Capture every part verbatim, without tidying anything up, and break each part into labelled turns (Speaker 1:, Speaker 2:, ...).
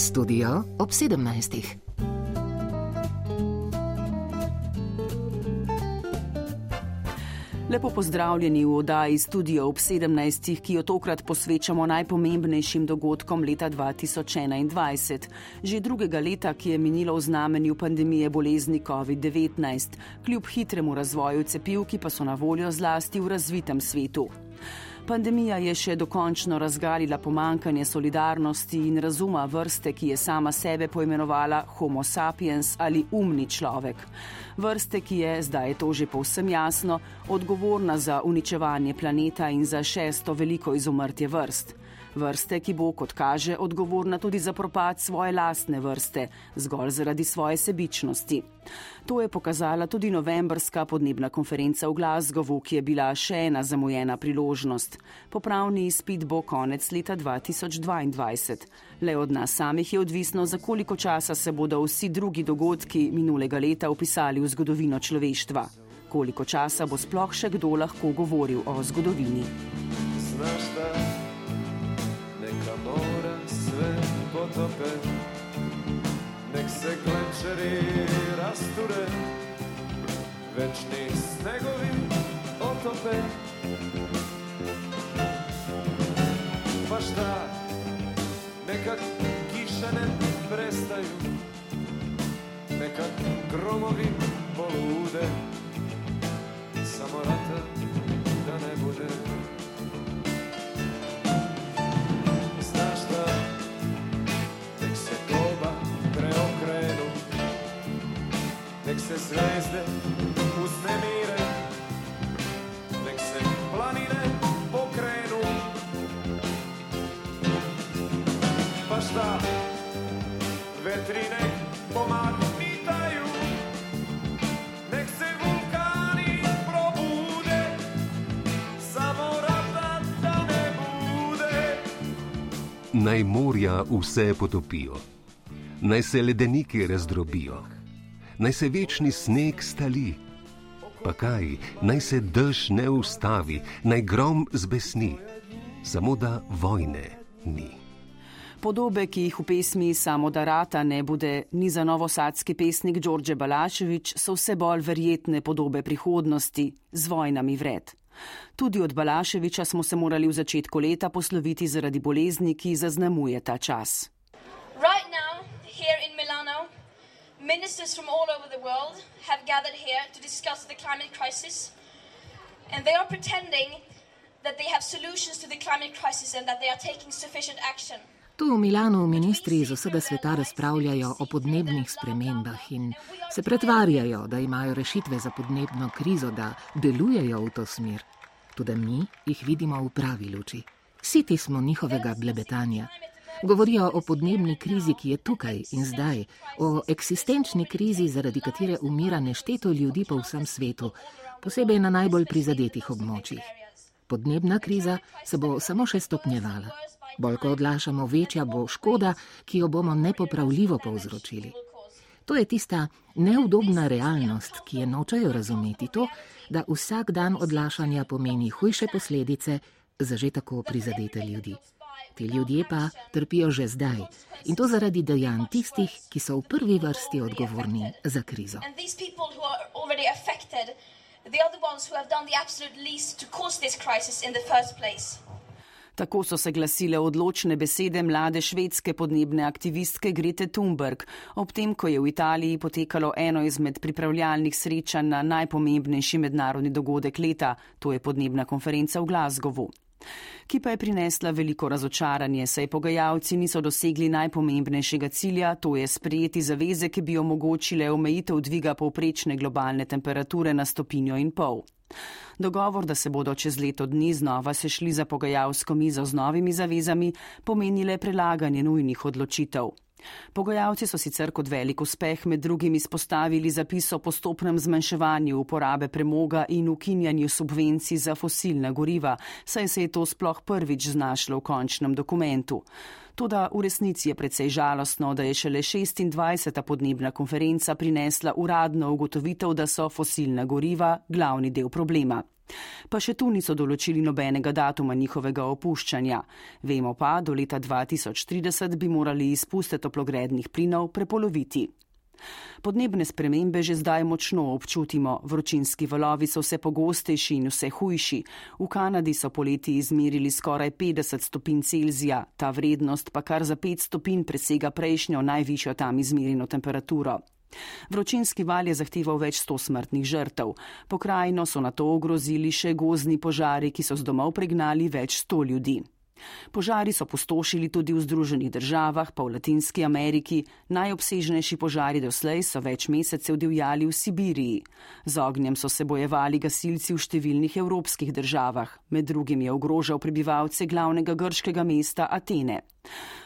Speaker 1: Studio ob sedemnajstih.
Speaker 2: Lepo pozdravljeni v oddaji Studio ob sedemnajstih, ki jo tokrat posvečamo najpomembnejšim dogodkom leta dva tisoč enaindvajset. Že drugega leta, ki je minilo v znamenju pandemije bolezni covid devetnajst, kljub hitremu razvoju cepiv, ki pa so na voljo zlasti v razvitem svetu. Pandemija je še dokončno razgalila pomankanje solidarnosti in razuma vrste, ki je sama sebe poimenovala Homo sapiens ali umni človek. Vrste, ki je, zdaj je to že povsem jasno, odgovorna za uničevanje planeta in za šesto veliko izumrtje vrst. Vrste, ki bo, kot kaže, odgovorna tudi za propad svoje lastne vrste, zgolj zaradi svoje sebičnosti. To je pokazala tudi novembrska podnebna konferenca v Glasgowu, ki je bila še ena zamujena priložnost. Popravni izpit bo konec leta dva tisoč dvaindvajset. Le od nas samih je odvisno, za koliko časa se bodo vsi drugi dogodki minulega leta vpisali v zgodovino človeštva. Koliko časa bo sploh še kdo lahko govoril o zgodovini.
Speaker 3: Znaš da neka mora sve potope, nek se glenčeri rasture, večni snegovi otope. Pa šta, neka kiše ne prestaju, neka gromovi polude, samo rata da ne bude. Nek se zvezde uznemire, nek se planine pokrenu. Pa šta, vetri nek pomahnitaju, nek se vulkani probude, samo rata da ne bude.
Speaker 4: Naj morja vse potopijo, naj se ledeniki razdrobijo, naj se večni sneg stali, pa kaj, naj se dež ne ustavi, naj grom zbesni, samo da vojne ni.
Speaker 2: Podobe, ki jih v pesmi Samo da rata ne bude, ni za novosadski pesnik Đorđe Balašević, so vse bolj verjetne podobe prihodnosti z vojnami vred. Tudi od Balaševića smo se morali v začetku leta posloviti zaradi bolezni, ki zaznamuje ta čas.
Speaker 5: Right now, here in Milano, ministers from all over the world have gathered here to discuss the climate crisis, and they are pretending that they have solutions to the climate crisis and that they are taking sufficient action.
Speaker 1: Tu v Milanu ministri iz vsega sveta razpravljajo o podnebnih spremembah in se pretvarjajo, da imajo rešitve za podnebno krizo, da delujejo v to smer. Tudi mi jih vidimo v pravi luči. Siti smo njihovega blebetanja. Govorijo o podnebni krizi, ki je tukaj in zdaj, o eksistenčni krizi, zaradi katere umira nešteto ljudi po vsem svetu, posebej na najbolj prizadetih območjih. Podnebna kriza se bo samo še stopnjevala. Bolj ko odlašamo, večja bo škoda, ki jo bomo nepopravljivo povzročili. To je tista neudobna realnost, ki je nočejo razumeti, to, da vsak dan odlašanja pomeni hujše posledice za že tako prizadete ljudi. Ti ljudje pa trpijo že zdaj in to zaradi dejanj tistih, ki so v prvi vrsti odgovorni za krizo.
Speaker 2: Tako so se glasile odločne besede mlade švedske podnebne aktivistke Grete Thunberg, ob tem, ko je v Italiji potekalo eno izmed pripravljalnih srečanj na najpomembnejši mednarodni dogodek leta, to je podnebna konferenca v Glasgowu. Ki pa je prinesla veliko razočaranje, saj pogajalci niso dosegli najpomembnejšega cilja, to je sprejeti zaveze, ki bi omogočile omejitev dviga povprečne globalne temperature na stopinjo in pol. Dogovor, da se bodo čez leto dni znova sešli za pogajalsko mizo z novimi zavezami, pomenile prelaganje nujnih odločitev. Pogajalci so sicer kot velik uspeh med drugim izpostavili zapis o postopnem zmanjševanju uporabe premoga in ukinjanju subvencij za fosilna goriva, saj se je to sploh prvič znašlo v končnem dokumentu. Toda v resnici je precej žalostno, da je šele šestindvajseta podnebna konferenca prinesla uradno ugotovitev, da so fosilna goriva glavni del problema. Pa še tu niso določili nobenega datuma njihovega opuščanja. Vemo pa, do leta dva tisoč trideset bi morali izpuste toplogrednih plinov prepoloviti. Podnebne spremembe že zdaj močno občutimo, vročinski valovi so vse pogostejši in vse hujši. V Kanadi so poleti izmerili skoraj petdeset stopinj Celzija, ta vrednost pa kar za pet stopinj presega prejšnjo najvišjo tam izmerjeno temperaturo. Vročinski val je zahteval več sto smrtnih žrtev. Pokrajino so nato ogrozili še gozdni požari, ki so z domov pregnali več sto ljudi. Požari so pustošili tudi v Združenih državah, pa v Latinski Ameriki. Najobsežnejši požari doslej so več mesecev divjali v Sibiriji. Z ognjem so se bojevali gasilci v številnih evropskih državah. Med drugim je ogrožal prebivalce glavnega grškega mesta Atene.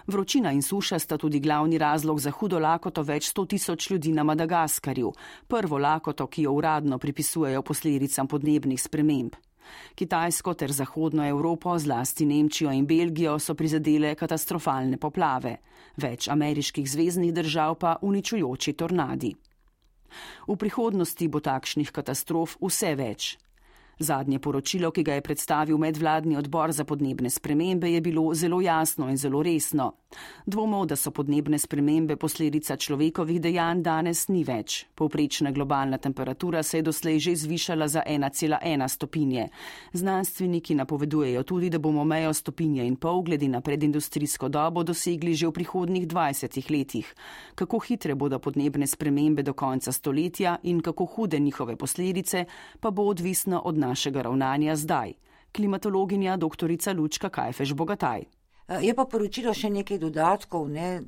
Speaker 2: Vročina in suša sta tudi glavni razlog za hudo lakoto več sto tisoč ljudi na Madagaskarju. Prvo lakoto, ki jo uradno pripisujejo posledicam podnebnih sprememb. Kitajsko ter zahodno Evropo, zlasti Nemčijo in Belgijo, so prizadele katastrofalne poplave. Več ameriških zveznih držav pa uničujoči tornadi. V prihodnosti bo takšnih katastrof vse več. Zadnje poročilo, ki ga je predstavil medvladni odbor za podnebne spremembe, je bilo zelo jasno in zelo resno. Dvomov, da so podnebne spremembe posledica človekovih dejanj, danes ni več. Povprečna globalna temperatura se je doslej že zvišala za ena cela ena stopinje. Znanstveniki napovedujejo tudi, da bomo mejo stopinje in pol glede na predindustrijsko dobo dosegli že v prihodnjih dvajsetih letih. Kako hitre bodo podnebne spremembe do konca stoletja in kako hude njihove posledice, pa bo odvisno od našega ravnanja zdaj. Klimatologinja doktorica Lučka Kajfež-Bogataj.
Speaker 6: Je pa poročilo še nekaj dodatkov, ne,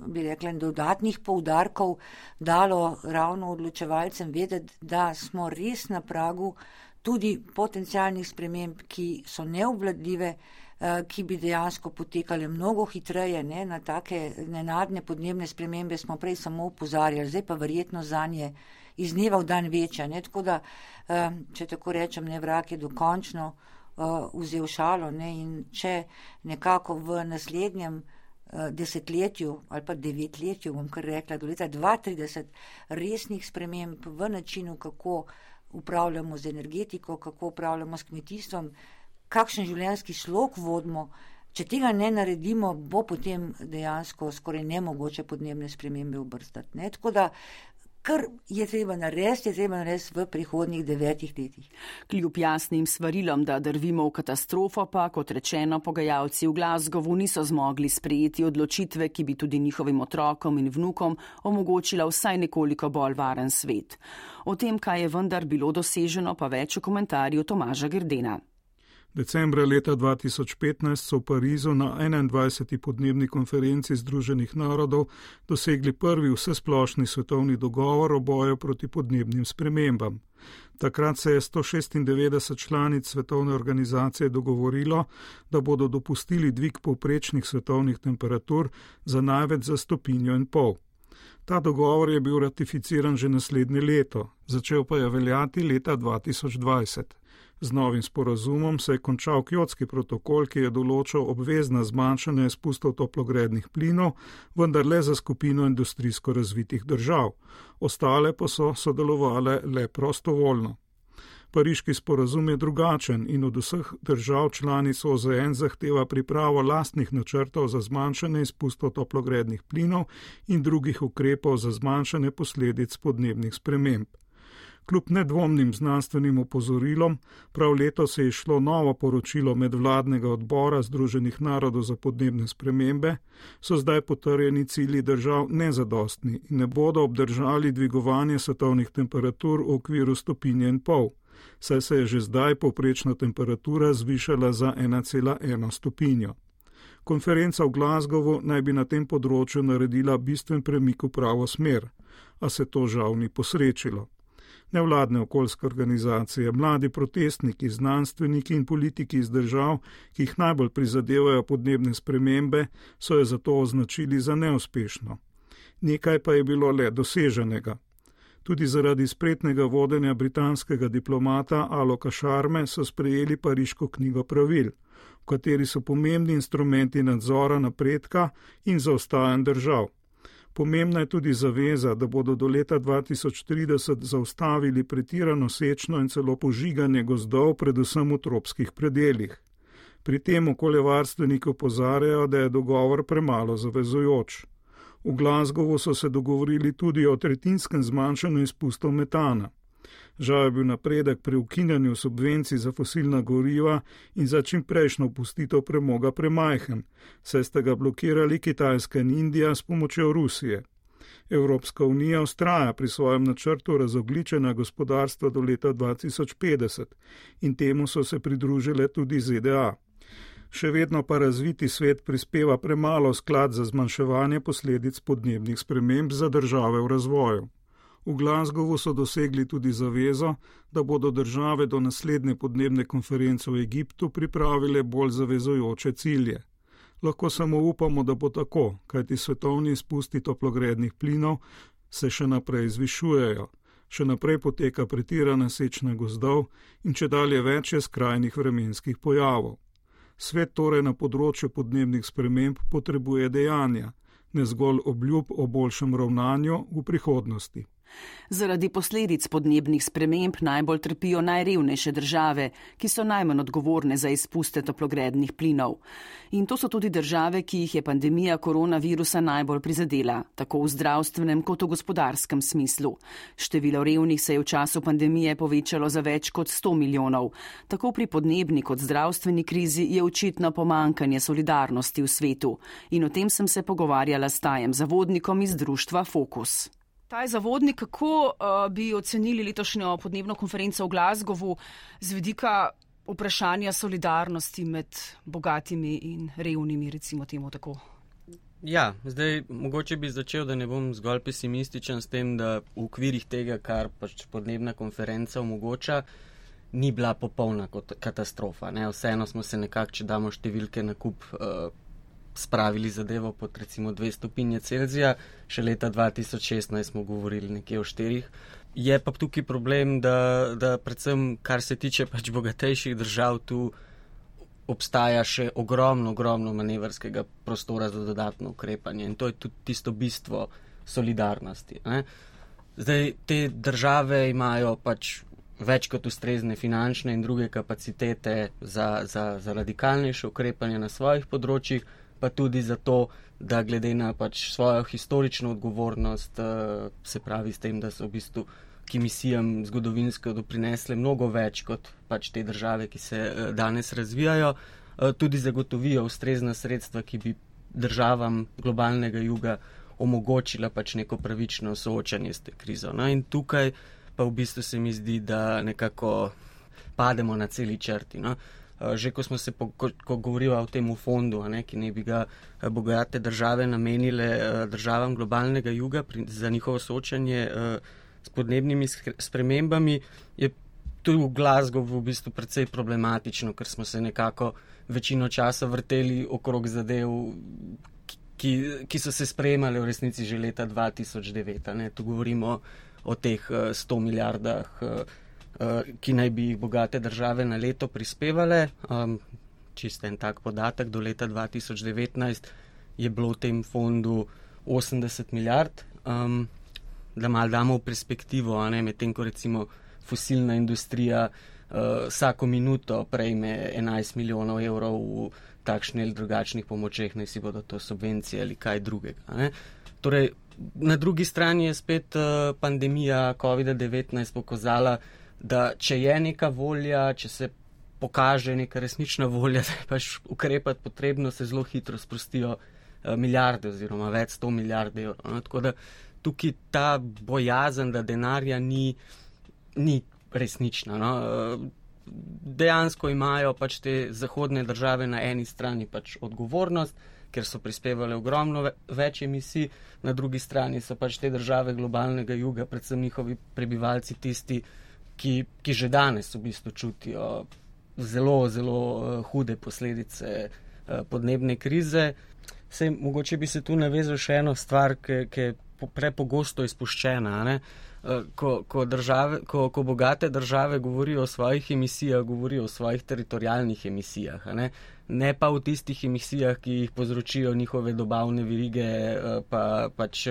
Speaker 6: bi rekla, dodatnih poudarkov dalo ravno odločevalcem vedeti, da smo res na pragu tudi potencialnih sprememb, ki so neobvladljive, ki bi dejansko potekale mnogo hitreje, ne, na take nenadne podnebne spremembe smo prej samo opozarjali, zdaj pa verjetno zanje iz dneva v dan večja. Ne, tako da, če tako rečem, ne, vrak je dokončno Uh, vzel šalo, ne, in če nekako v naslednjem uh, desetletju ali pa devetletju, bom kar rekla, do leta dva tisoč trideset resnih sprememb v načinu, kako upravljamo z energetiko, kako upravljamo s kmetijstvom, kakšen življenjski slog vodimo, če tega ne naredimo, bo potem dejansko skoraj nemogoče podnebne spremembe obrstati. Ne, tako da kar je treba narediti, je treba narediti v prihodnjih devetih letih.
Speaker 2: Kljub jasnim svarilom, da drvimo v katastrofo, pa, kot rečeno, pogajalci v Glasgowu niso zmogli sprejeti odločitve, ki bi tudi njihovim otrokom in vnukom omogočila vsaj nekoliko bolj varen svet. O tem, kaj je vendar bilo doseženo, pa več v komentarju Tomaža Grdena.
Speaker 7: Decembra leta dva tisoč petnajst so v Parizu na enaindvajseti podnebni konferenci Združenih narodov dosegli prvi vsesplošni svetovni dogovor o boju proti podnebnim spremembam. Takrat se je sto šestindevetdeset članic svetovne organizacije dogovorilo, da bodo dopustili dvig povprečnih svetovnih temperatur za največ za stopinjo in pol. Ta dogovor je bil ratificiran že naslednje leto, začel pa je veljati leta dva tisoč dvajset. Z novim sporazumom se je končal Kjotski protokol, ki je določal obvezna zmanjšanja izpustov toplogrednih plinov, vendar le za skupino industrijsko razvitih držav. Ostale pa so sodelovale le prostovoljno. Pariški sporazum je drugačen in od vseh držav članic O Z N zahteva pripravo lastnih načrtov za zmanjšanje izpustov toplogrednih plinov in drugih ukrepov za zmanjšanje posledic podnebnih sprememb. Kljub nedvomnim znanstvenim opozorilom, prav letos je išlo novo poročilo medvladnega odbora Združenih narodov za podnebne spremembe, so zdaj potrjeni cilji držav nezadostni in ne bodo obdržali dvigovanje svetovnih temperatur v okviru stopinje in pol, saj se je že zdaj povprečna temperatura zvišala za ena cela ena stopinjo. Konferenca v Glasgowu naj bi na tem področju naredila bistven premik v pravo smer, a se to žal ni posrečilo. Nevladne okoljske organizacije, mladi protestniki, znanstveniki in politiki iz držav, ki jih najbolj prizadevajo podnebne spremembe, so jo zato označili za neuspešno. Nekaj pa je bilo le doseženega. Tudi zaradi spretnega vodenja britanskega diplomata Aloka Sharme so sprejeli Pariško knjigo pravil, v kateri so pomembni instrumenti nadzora napredka in zaostajanj držav. Pomembna je tudi zaveza, da bodo do leta dva tisoč trideset zaustavili pretirano sečno in celo požiganje gozdov, predvsem v tropskih predeljih. Pri tem okoljevarstveniki opozarjajo, da je dogovor premalo zavezujoč. V Glasgowu so se dogovorili tudi o tretjinskem zmanjšanju izpustov metana. Žal je bil napredek pri ukinjanju subvencij za fosilna goriva in za čimprejšnjo opustitev premoga premajhen, saj sta ga blokirali Kitajska in Indija s pomočjo Rusije. Evropska unija vztraja pri svojem načrtu razogličenja gospodarstva do leta dva tisoč petdeset in temu so se pridružile tudi Z D A. Še vedno pa razviti svet prispeva premalo sklad za zmanjševanje posledic podnebnih sprememb za države v razvoju. V Glasgowu so dosegli tudi zavezo, da bodo države do naslednje podnebne konference v Egiptu pripravile bolj zavezujoče cilje. Lahko samo upamo, da bo tako, kajti svetovni izpusti toplogrednih plinov se še naprej zvišujejo. Še naprej poteka pretirana sečna gozdov in čedalje več je skrajnih vremenskih pojavov. Svet torej na področju podnebnih sprememb potrebuje dejanja, ne zgolj obljub o boljšem ravnanju v prihodnosti.
Speaker 2: Zaradi posledic podnebnih sprememb najbolj trpijo najrevnejše države, ki so najmanj odgovorne za izpuste toplogrednih plinov. In to so tudi države, ki jih je pandemija koronavirusa najbolj prizadela, tako v zdravstvenem kot v gospodarskem smislu. Število revnih se je v času pandemije povečalo za več kot sto milijonov. Tako pri podnebni kot zdravstveni krizi je očitno pomanjkanje solidarnosti v svetu. In o tem sem se pogovarjala s Tajem Zavodnikom iz društva Fokus. Taj Zavodnik, kako uh, bi ocenili letošnjo podnebno konferenco v Glasgowu z vidika vprašanja solidarnosti med bogatimi in revnimi, recimo temu tako?
Speaker 8: Ja, zdaj mogoče bi začel, da ne bom zgolj pesimističen s tem, da v okvirih tega, kar pač podnebna konferenca omogoča, ni bila popolna katastrofa. Ne? Vseeno smo se nekako, če damo številke na kup, uh, spravili zadevo pod recimo dve stopinje Celzija, še leta dva tisoč šestnajst smo govorili nekje o štirih. Je pa tukaj problem, da, da predvsem, kar se tiče pač bogatejših držav, tu obstaja še ogromno, ogromno manevrskega prostora za dodatno ukrepanje in to je tudi tisto bistvo solidarnosti. Ne? Zdaj, te države imajo pač več kot ustrezne finančne in druge kapacitete za, za, za radikalnejše ukrepanje na svojih področjih, pa tudi zato, da glede na pač svojo historično odgovornost, se pravi s tem, da so v bistvu k emisijam zgodovinsko doprinesle mnogo več kot pač te države, ki se danes razvijajo, tudi zagotovijo ustrezna sredstva, ki bi državam globalnega juga omogočila pač neko pravično soočanje s te krizo. No, in tukaj pa v bistvu se mi zdi, da nekako pademo na celi črti. No. Že ko smo se, po, ko, ko govorila o tem fondu, ne, ki ne bi ga bogate države namenile državam globalnega juga pri, za njihovo soočanje s podnebnimi spremembami, je tudi v Glasgowu v bistvu precej problematično, ker smo se nekako večino časa vrteli okrog zadev, ki, ki so se sprejemale v resnici že leta dva tisoč devet. Ne. Tu govorimo o teh sto milijardah, ki naj bi jih bogate države na leto prispevale. Um, čisto en tak podatek, do leta dva tisoč devetnajst je bilo v tem fondu osemdeset milijard. Um, da malo damo v perspektivo, a ne, medtem ko recimo fosilna industrija uh, vsako minuto prejme enajst milijonov evrov v takšnih ali drugačnih pomočeh, naj si bodo to subvencije ali kaj drugega. A ne. Torej, na drugi strani je spet uh, pandemija covid devetnajst pokazala, da če je neka volja, če se pokaže neka resnična volja, da je pač ukrepati potrebno, se zelo hitro sprostijo uh, milijarde oziroma več sto milijard evrov. No? Tako da tukaj ta bojazen, da denarja ni, ni resnična. No? Uh, dejansko imajo pač te zahodne države na eni strani pač odgovornost, ker so prispevale ogromno več emisij, na drugi strani so pač te države globalnega juga, predvsem njihovi prebivalci tisti, Ki, ki že danes v bistvu čutijo zelo, zelo uh, hude posledice uh, podnebne krize. Sej, mogoče bi se tu navezal še eno stvar, ki, ki je prepogosto izpuščena. Ne? Uh, ko, ko, države, ko, ko bogate države govorijo o svojih emisijah, govorijo o svojih teritorijalnih emisijah. Ne? ne pa v tistih emisijah, ki jih povzročijo njihove dobavne verige, pa pač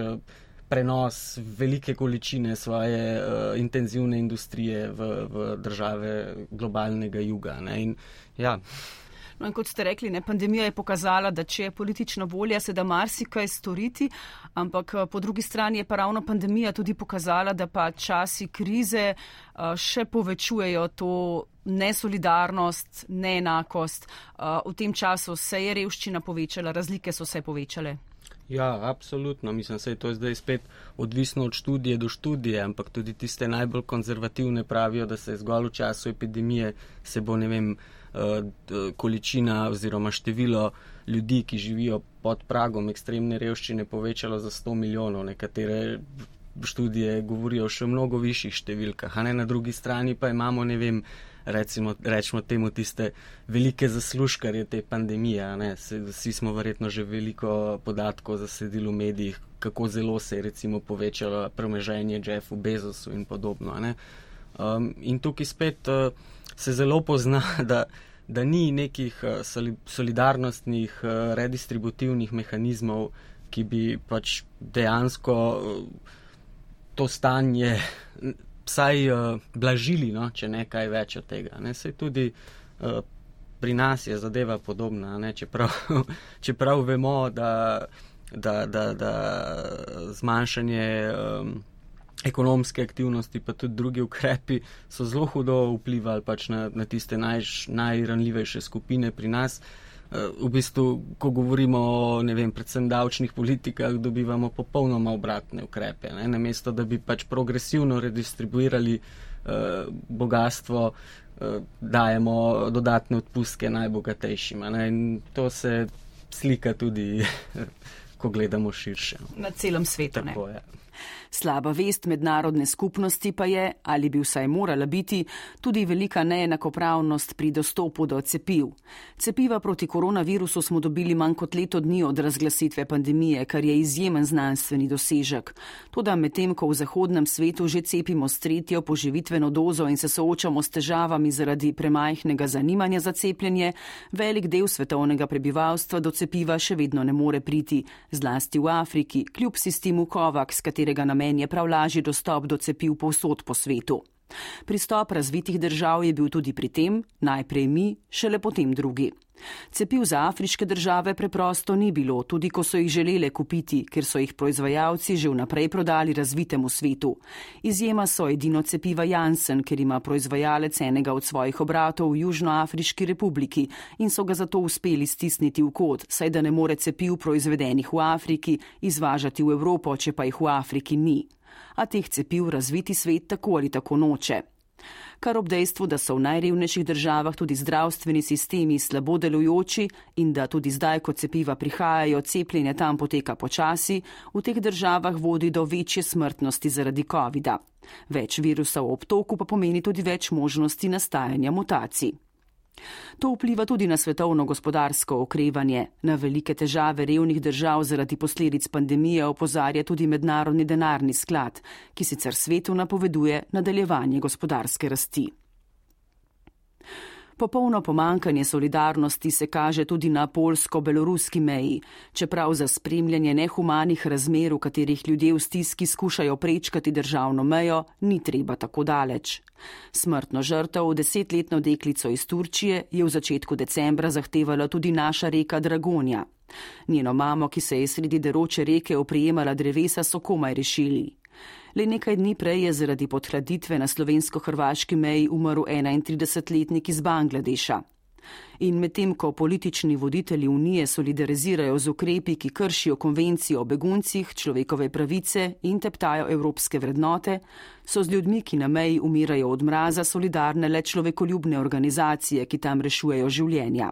Speaker 8: prenos velike količine svoje uh, intenzivne industrije v, v države globalnega juga. Ne? In, ja.
Speaker 2: No, in kot ste rekli, ne, pandemija je pokazala, da če je politična volja, se da marsikaj storiti, ampak po drugi strani je pa ravno pandemija tudi pokazala, da pa časi krize uh, še povečujejo to nesolidarnost, neenakost. Uh, v tem času se je revščina povečala, razlike so se povečale.
Speaker 8: Ja, absolutno. Mislim, da je to zdaj spet odvisno od študije do študije, ampak tudi tiste najbolj konzervativne pravijo, da se zgolj v času epidemije se bo, ne vem, količina oziroma število ljudi, ki živijo pod pragom ekstremne revščine, povečalo za sto milijonov. Nekatere študije govorijo o še mnogo višjih številkah, a ne, na drugi strani pa imamo, ne vem, recimo, rečemo temu tiste velike zaslužkarje te pandemije, ne. Vsi smo verjetno že veliko podatkov zasedili v medijih, kako zelo se je recimo povečalo premoženje Jeffu Bezosu in podobno, ne. Um, in tukaj spet uh, se zelo pozna, da, da ni nekih uh, solidarnostnih, uh, redistributivnih mehanizmov, ki bi pač dejansko uh, to stanje vsaj uh, blažili, no, če ne kaj več od tega. Ne. Saj tudi uh, pri nas je zadeva podobna, ne, čeprav, čeprav vemo, da, da, da, da zmanjšanje um, ekonomske aktivnosti pa tudi drugi ukrepi so zelo hudo vplivali pač na, na tiste naj, najranljivejše skupine pri nas. V bistvu, ko govorimo o, ne vem, predvsem davčnih politikah, dobivamo popolnoma obratne ukrepe. Ne? Namesto, da bi pač progresivno redistribuirali eh, bogatstvo, eh, dajemo dodatne odpustke najbogatejšima. Ne? In to se slika tudi, ko gledamo širše.
Speaker 2: Na celem svetu.
Speaker 8: Tako,
Speaker 2: ne?
Speaker 8: Ja.
Speaker 2: Slaba vest mednarodne skupnosti pa je, ali bi vsaj morala biti, tudi velika neenakopravnost pri dostopu do cepiv. Cepiva proti koronavirusu smo dobili manj kot leto dni od razglasitve pandemije, kar je izjemen znanstveni dosežek. Toda medtem, ko v zahodnem svetu že cepimo s tretjo poživitveno dozo in se soočamo s težavami zaradi premajhnega zanimanja za cepljenje, velik del svetovnega prebivalstva do cepiva še vedno ne more priti, zlasti v Afriki, kljub sistemu COVAX, katerega namen je prav lažji dostop do cepiv povsod po svetu. Pristop razvitih držav je bil tudi pri tem, najprej mi, šele potem drugi. Cepiv za afriške države preprosto ni bilo, tudi ko so jih želele kupiti, ker so jih proizvajalci že vnaprej prodali razvitemu svetu. Izjema so edino cepiva Janssen, ker ima proizvajalec enega od svojih obratov v Južnoafriški republiki in so ga zato uspeli stisniti v kot, saj da ne more cepiv proizvedenih v Afriki izvažati v Evropo, če pa jih v Afriki ni. A teh cepiv razviti svet tako ali tako noče. Kar ob dejstvu, da so v najrevnejših državah tudi zdravstveni sistemi slabo delujoči in da tudi zdaj, ko cepiva prihajajo, cepljenje tam poteka počasi, v teh državah vodi do večje smrtnosti zaradi covida. Več virusa v obtoku pa pomeni tudi več možnosti nastajanja mutacij. To vpliva tudi na svetovno gospodarsko okrevanje. Na velike težave revnih držav zaradi posledic pandemije opozarja tudi Mednarodni denarni sklad, ki sicer svetu napoveduje nadaljevanje gospodarske rasti. Popolno pomankanje solidarnosti se kaže tudi na polsko-beloruski meji, čeprav za spremljanje nehumanih razmer, v katerih ljudje v stiski skušajo prečkati državno mejo, ni treba tako daleč. Smrtno žrtev, desetletno deklico iz Turčije, je v začetku decembra zahtevala tudi naša reka Dragonja. Njeno mamo, ki se je sredi deroče reke oprijemala drevesa, so komaj rešili. Le nekaj dni prej je zaradi podhladitve na slovensko-hrvaški meji umrl enaintridesetletnik iz Bangladeša. In medtem, ko politični voditelji Unije solidarizirajo z ukrepi, ki kršijo konvencijo o beguncih, človekove pravice in teptajo evropske vrednote, so z ljudmi, ki na meji umirajo od mraza, solidarne le človekoljubne organizacije, ki tam rešujejo življenja.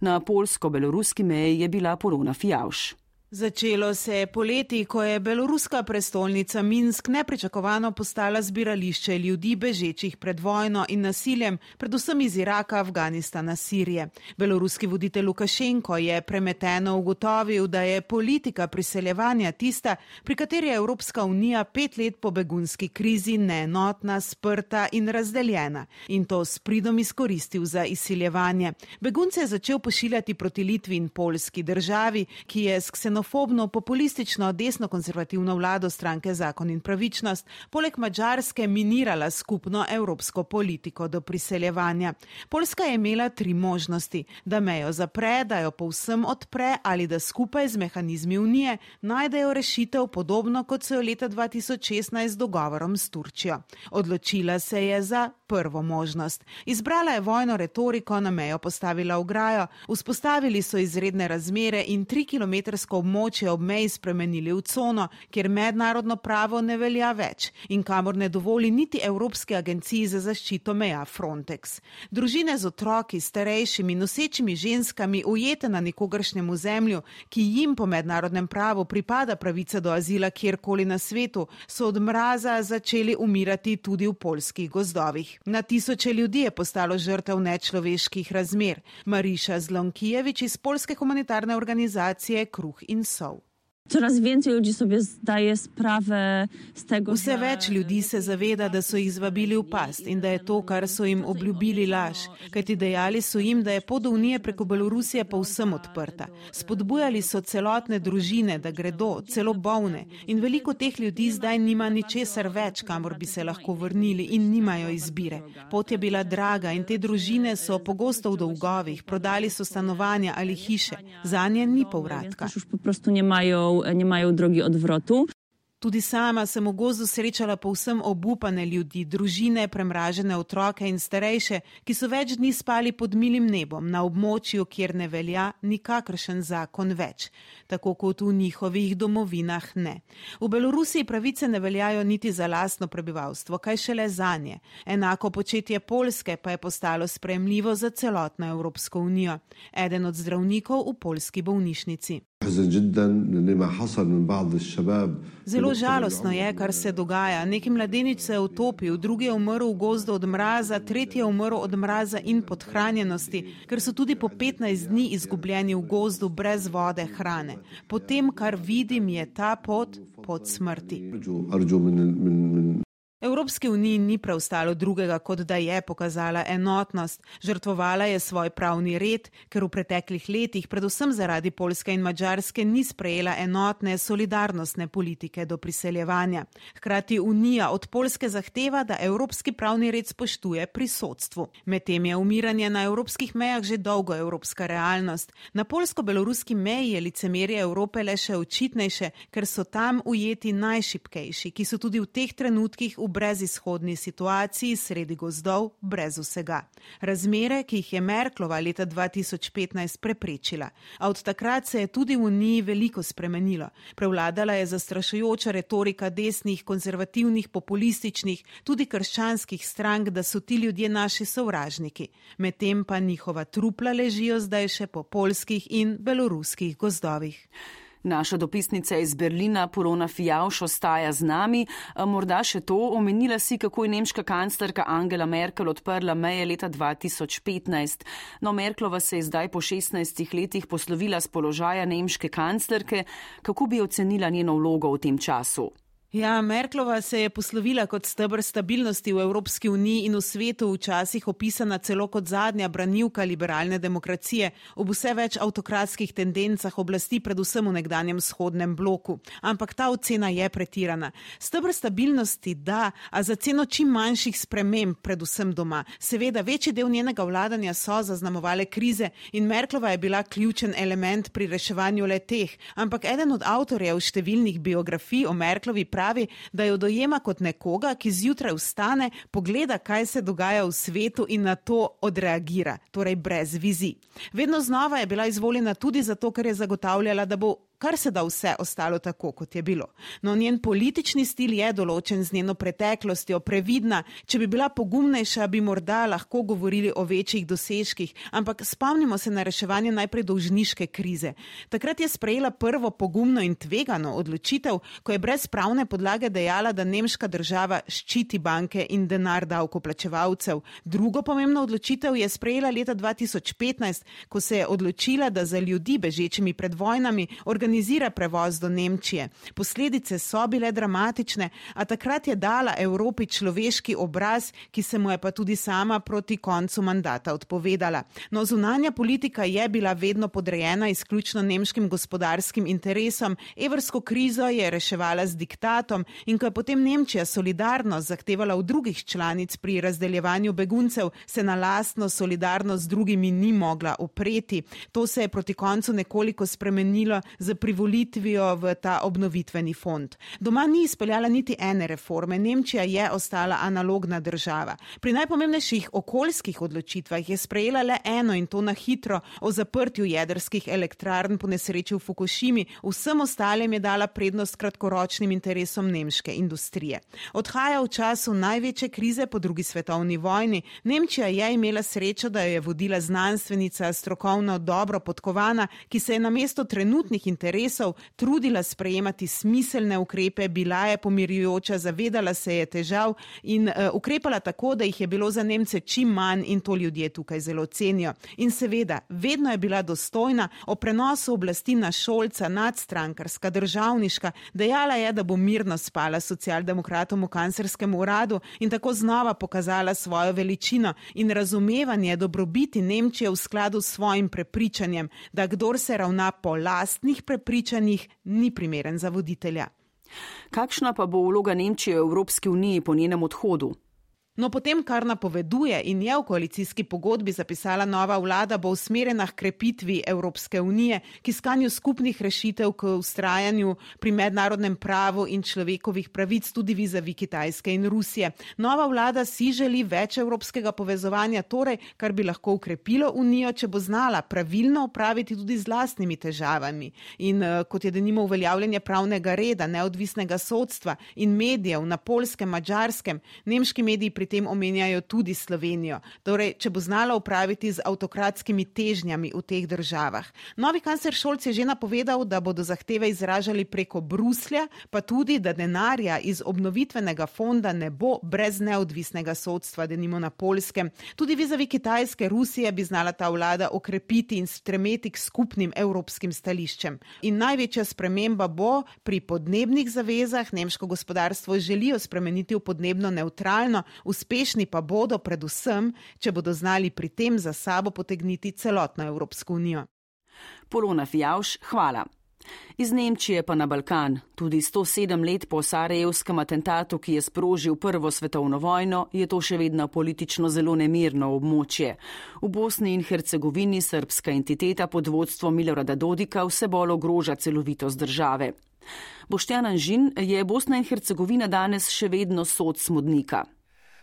Speaker 2: Na polsko-beloruski meji je bila Polona Fijavš.
Speaker 9: Začelo se je poleti, ko je beloruska prestolnica Minsk nepričakovano postala zbirališče ljudi bežečih pred vojno in nasiljem, predvsem iz Iraka, Afganistana, Sirije. Beloruski voditelj Lukašenko je premeteno ugotovil, da je politika priseljevanja tista, pri kateri je Evropska unija pet let po begunski krizi neenotna, sprta in razdeljena. In to s pridom izkoristil za izsiljevanje. Begunce je začel pošiljati proti Litvi in Poljski, državi, ki je s ksenofobno populistično desno-konservativno vlado stranke Zakon in pravičnost, poleg Madžarske minirala skupno evropsko politiko do priseljevanja. Poljska je imela tri možnosti, da mejo zapre, da jo povsem odpre ali da skupaj z mehanizmi unije najdejo rešitev podobno kot so jo leta dva tisoč šestnajst z dogovorom s Turčijo. Odločila se je za prvo možnost. Izbrala je vojno retoriko, na mejo postavila ograjo, vzpostavili so izredne razmere in trikilometrsko območje ob meji spremenili v cono, kjer mednarodno pravo ne velja več in kamor ne dovoli niti Evropske agenciji za zaščito meja Frontex. Družine z otroki, starejšimi, nosečimi ženskami, ujete na nikogaršnjem ozemlju, ki jim po mednarodnem pravu pripada pravica do azila kjerkoli na svetu, so od mraza začeli umirati tudi v poljskih gozdovih. Na tisoče ljudi je postalo žrtev nečloveških razmer. Mariša Zlonkijevič iz poljske humanitarne organizacije Kruh in Sol.
Speaker 10: Coraz więcej ludzi sobie zdaje sprawę z tego,
Speaker 9: Vse več ljudi se zaveda, da so jih zvabili v past in da je to, kar so jim obljubili, laž. Kajti dejali so jim, da je pot do Unije preko Belorusije povsem odprta. Spodbujali so celotne družine, da gredo, celo bolne. In veliko teh ljudi zdaj nima ničesar več, kamor bi se lahko vrnili in nimajo izbire. Pot je bila draga in te družine so pogosto v dolgovih, prodali so stanovanja ali hiše. Zanje ni povratka.
Speaker 10: Już po prostu nie mają nie mają drogi odwrotu.
Speaker 9: Tudi sama sem v gozdu srečala povsem obupane ljudi, družine, premražene otroke in starejše, ki so več dni spali pod milim nebom, na območju, kjer ne velja nikakršen zakon več, tako kot v njihovih domovinah ne. V Belorusiji pravice ne veljajo niti za lastno prebivalstvo, kaj šele zanje. Enako početje Poljske pa je postalo sprejemljivo za celotno Evropsko unijo. Eden od zdravnikov v poljski bolnišnici. Zelo žalostno je, kar se dogaja. Neki mladenič se je utopil, drugi je umrl v gozdu od mraza, tretji je umrl od mraza in podhranjenosti, ker so tudi po petnajst dni izgubljeni v gozdu brez vode, hrane. Po tem, kar vidim, je ta pot pot smrti. Evropski uniji ni preostalo drugega, kot da je pokazala enotnost. Žrtvovala je svoj pravni red, ker v preteklih letih, predvsem zaradi Poljske in Madžarske, ni sprejela enotne, solidarnostne politike do priseljevanja. Hkrati Unija od Poljske zahteva, da evropski pravni red spoštuje pri sodstvu. Medtem je umiranje na evropskih mejah že dolgo evropska realnost. Na poljsko-beloruski meji je licemerje Evrope le še očitnejše, ker so tam ujeti najšibkejši, ki so tudi v teh trenutkih v brezizhodni situaciji sredi gozdov, brez vsega. Razmere, ki jih je Merklova leta dva tisoč petnajst preprečila. A od takrat se je tudi v Uniji veliko spremenilo. Prevladala je zastrašujoča retorika desnih, konzervativnih, populističnih, tudi krščanskih strank, da so ti ljudje naši sovražniki. Medtem pa njihova trupla ležijo zdaj še po poljskih in beloruskih gozdovih.
Speaker 2: Naša dopisnica iz Berlina, Polona Fijavš, ostaja z nami. Morda še to, omenila si, kako je nemška kanclerka Angela Merkel odprla meje leta dva tisoč petnajst. No, Merklova se je zdaj po šestnajstih letih poslovila z položaja nemške kanclerke. Kako bi ocenila njeno vlogo v tem času?
Speaker 9: Ja, Merklova se je poslovila kot steber stabilnosti v Evropski uniji in v svetu, včasih opisana celo kot zadnja branilka liberalne demokracije, ob vse več avtokratskih tendencah oblasti, predvsem v nekdanjem vzhodnem bloku. Ampak ta ocena je pretirana. Steber stabilnosti da, a za ceno čim manjših sprememb, predvsem doma. Seveda, večji del njenega vladanja so zaznamovale krize in Merklova je bila ključen element pri reševanju le teh. Ampak eden od avtorjev številnih biografij o Merklovi pravi, da jo dojema kot nekoga, ki zjutraj vstane, pogleda, kaj se dogaja v svetu in na to odreagira, torej brez vizij. Vedno znova je bila izvoljena tudi zato, ker je zagotavljala, da bo kar se da vse ostalo tako, kot je bilo. No, njen politični stil je določen z njeno preteklostjo, previdna. Če bi bila pogumnejša, bi morda lahko govorili o večjih dosežkih, ampak spomnimo se na reševanje najprej dolžniške krize. Takrat je sprejela prvo pogumno in tvegano odločitev, ko je brez pravne podlage dejala, da nemška država ščiti banke in denar davkoplačevalcev. Drugo pomembno odločitev je sprejela leta dva tisoč petnajst, ko se je odločila, da za ljudi bežečimi pred vojnami organizira prevoz do Nemčije. Posledice so bile dramatične, a takrat je dala Evropi človeški obraz, ki se mu je pa tudi sama proti koncu mandata odpovedala. No, zunanja politika je bila vedno podrejena izključno nemškim gospodarskim interesom, evrsko krizo je reševala z diktatom in ko je potem Nemčija solidarnost zahtevala v drugih članic pri razdeljevanju beguncev, se na lastno solidarnost z drugimi ni mogla upreti. To se je proti koncu nekoliko spremenilo z privolitvijo v ta obnovitveni fond. Doma ni izpeljala niti ene reforme, Nemčija je ostala analogna država. Pri najpomembnejših okoljskih odločitvah je sprejela le eno in to na hitro o zaprtju jedrskih elektrarn po nesreči v Fukušimi, vsem ostalim je dala prednost kratkoročnim interesom nemške industrije. Odhaja v času največje krize po drugi svetovni vojni. Nemčija je imela srečo, da jo je vodila znanstvenica, strokovno dobro podkovana, ki se je namesto trenutnih interesov trudila sprejemati smiselne ukrepe, bila je pomirjujoča, zavedala se je težav in uh, ukrepala tako, da jih je bilo za Nemce čim manj in to ljudje tukaj zelo cenijo. In seveda, vedno je bila dostojna, o prenosu oblasti na Scholza, nadstrankarska, državniška, dejala je, da bo mirno spala socialdemokratom v kanclerskem uradu in tako znova pokazala svojo veličino in razumevanje dobrobiti Nemčije v skladu s svojim prepričanjem, da kdor se ravna po lastnih prepričanjih, ni primeren za voditelja.
Speaker 2: Kakšna pa bo vloga Nemčije v Evropski uniji po njenem odhodu?
Speaker 9: No, potem, kar napoveduje in je v koalicijski pogodbi zapisala nova vlada, bo usmerjena k krepitvi Evropske unije, k iskanju skupnih rešitev, k vztrajanju pri mednarodnem pravu in človekovih pravic tudi vizavi Kitajske in Rusije. Nova vlada si želi več evropskega povezovanja, torej, kar bi lahko ukrepilo unijo, če bo znala pravilno upraviti tudi z lastnimi težavami. In kot je denimo uveljavljanje pravnega reda, neodvisnega sodstva in medijev na Poljskem, Madžarskem, nemški mediji pri tem omenjajo tudi Slovenijo. Torej, če bo znala upraviti z avtokratskimi težnjami v teh državah. Novi kancler Scholz je že napovedal, da bodo zahteve izražali preko Bruslja, pa tudi, da denarja iz obnovitvenega fonda ne bo brez neodvisnega sodstva, denimo na Poljskem. Tudi vizavi Kitajske, Rusije bi znala ta vlada okrepiti in stremeti k skupnim evropskim stališčem. In največja sprememba bo pri podnebnih zavezah. Nemško gospodarstvo želijo spremeniti v podnebno nevtralno, uspešni pa bodo predvsem, če bodo znali pri tem za sabo potegniti celotno Evropsko unijo.
Speaker 2: Polona Fijavš, hvala. Iz Nemčije pa na Balkan. Tudi sto sedem let po sarajevskem atentatu, ki je sprožil prvo svetovno vojno, je to še vedno politično zelo nemirno območje. V Bosni in Hercegovini srbska entiteta pod vodstvom Milorada Dodika vse bolj ogroža celovitost države. Boštjan Anžin, je Bosna in Hercegovina danes še vedno sod smodnika?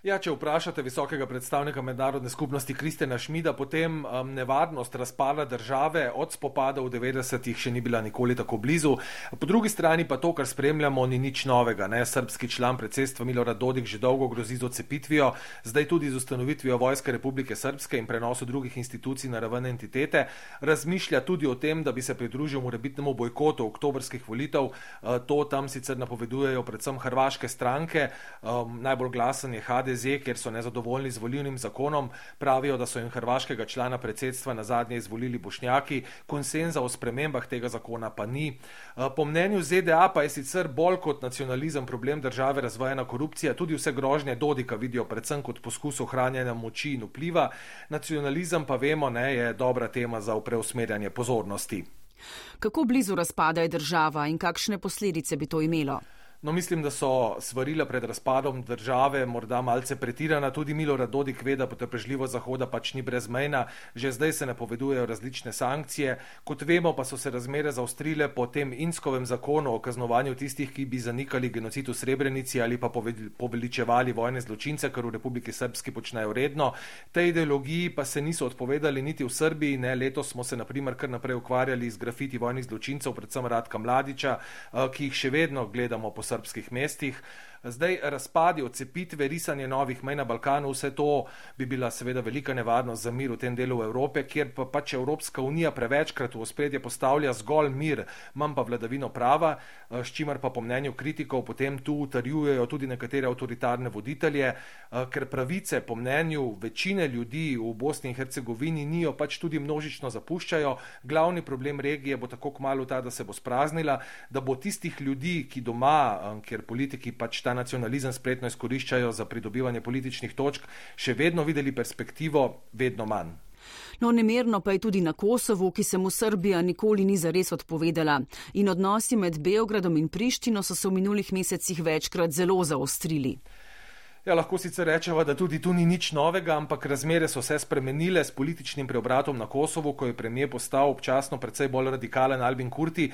Speaker 11: Ja, če vprašate visokega predstavnika mednarodne skupnosti Kristjana Schmida, potem um, nevarnost razpada države od spopada v devetdesetih še ni bila nikoli tako blizu. Po drugi strani pa to, kar spremljamo, ni nič novega. Ne? Srbski član predsedstva Milorad Dodik že dolgo grozi z odcepitvijo, zdaj tudi z ustanovitvijo Vojske Republike Srpske in prenosu drugih institucij na raven entitete. Razmišlja tudi o tem, da bi se pridružil morebitnemu bojkotu oktobrskih volitev. Uh, to tam sicer napovedujejo predvsem hrvaške stranke. Um, najbolj glasen je H D Z, kjer so nezadovoljni z volilnim zakonom, pravijo, da so jim hrvaškega člana predsedstva na zadnje izvolili Bošnjaki, konsenza o spremembah tega zakona pa ni. Po mnenju Z D A pa je sicer bolj kot nacionalizem problem države razvojena korupcija, tudi vse grožnje Dodika vidijo predvsem kot poskus ohranjanja moči in vpliva. Nacionalizem pa vemo, ne, je dobra tema za preusmerjanje pozornosti.
Speaker 2: Kako blizu razpada je država in kakšne posledice bi to imelo?
Speaker 11: No, mislim, da so svarila pred razpadom države morda malce pretirana, tudi Milorad Dodik ve, da potrpežljivost Zahoda pač ni brezmejna, že zdaj se napovedujejo različne sankcije. Kot vemo, pa so se razmere zaostrile po tem Inskovem zakonu o kaznovanju tistih, ki bi zanikali genocid v Srebrenici ali pa poveličevali vojne zločince, kar v Republiki Srbski počnejo redno. Tej ideologiji pa se niso odpovedali niti v Srbiji, ne, letos smo se na primer kar naprej ukvarjali z grafiti vojnih zločincev, predvsem Ratka Mladića, ki jih še vedno gledamo po srpskih mestih. Zdaj razpadi, odcepitve, risanje novih mej na Balkanu, vse to bi bila seveda velika nevarnost za mir v tem delu Evrope, kjer pa pač Evropska unija prevečkrat v ospredje postavlja zgolj mir, manj pa vladavino prava, s čimer pa po mnenju kritikov potem tu utrjujejo tudi nekatere avtoritarne voditelje, ker pravice po mnenju večine ljudi v Bosni in Hercegovini nijo pač tudi množično zapuščajo. Glavni problem regije bo tako kmalu ta, da se bo spraznila, da bo tistih ljudi, ki doma, kjer politiki pač ta nacionalizem spretno izkoriščajo za pridobivanje političnih točk, še vedno videli perspektivo, vedno manj.
Speaker 2: No, nemirno pa je tudi na Kosovu, ki se mu Srbija nikoli ni zares odpovedala. In odnosi med Beogradom in Prištino so se v minulih mesecih večkrat zelo zaostrili.
Speaker 11: Ja, lahko sicer rečeva, da tudi tu ni nič novega, ampak razmere so se spremenile s političnim preobratom na Kosovu, ko je premijer postal občasno precej bolj radikalen Albin Kurti,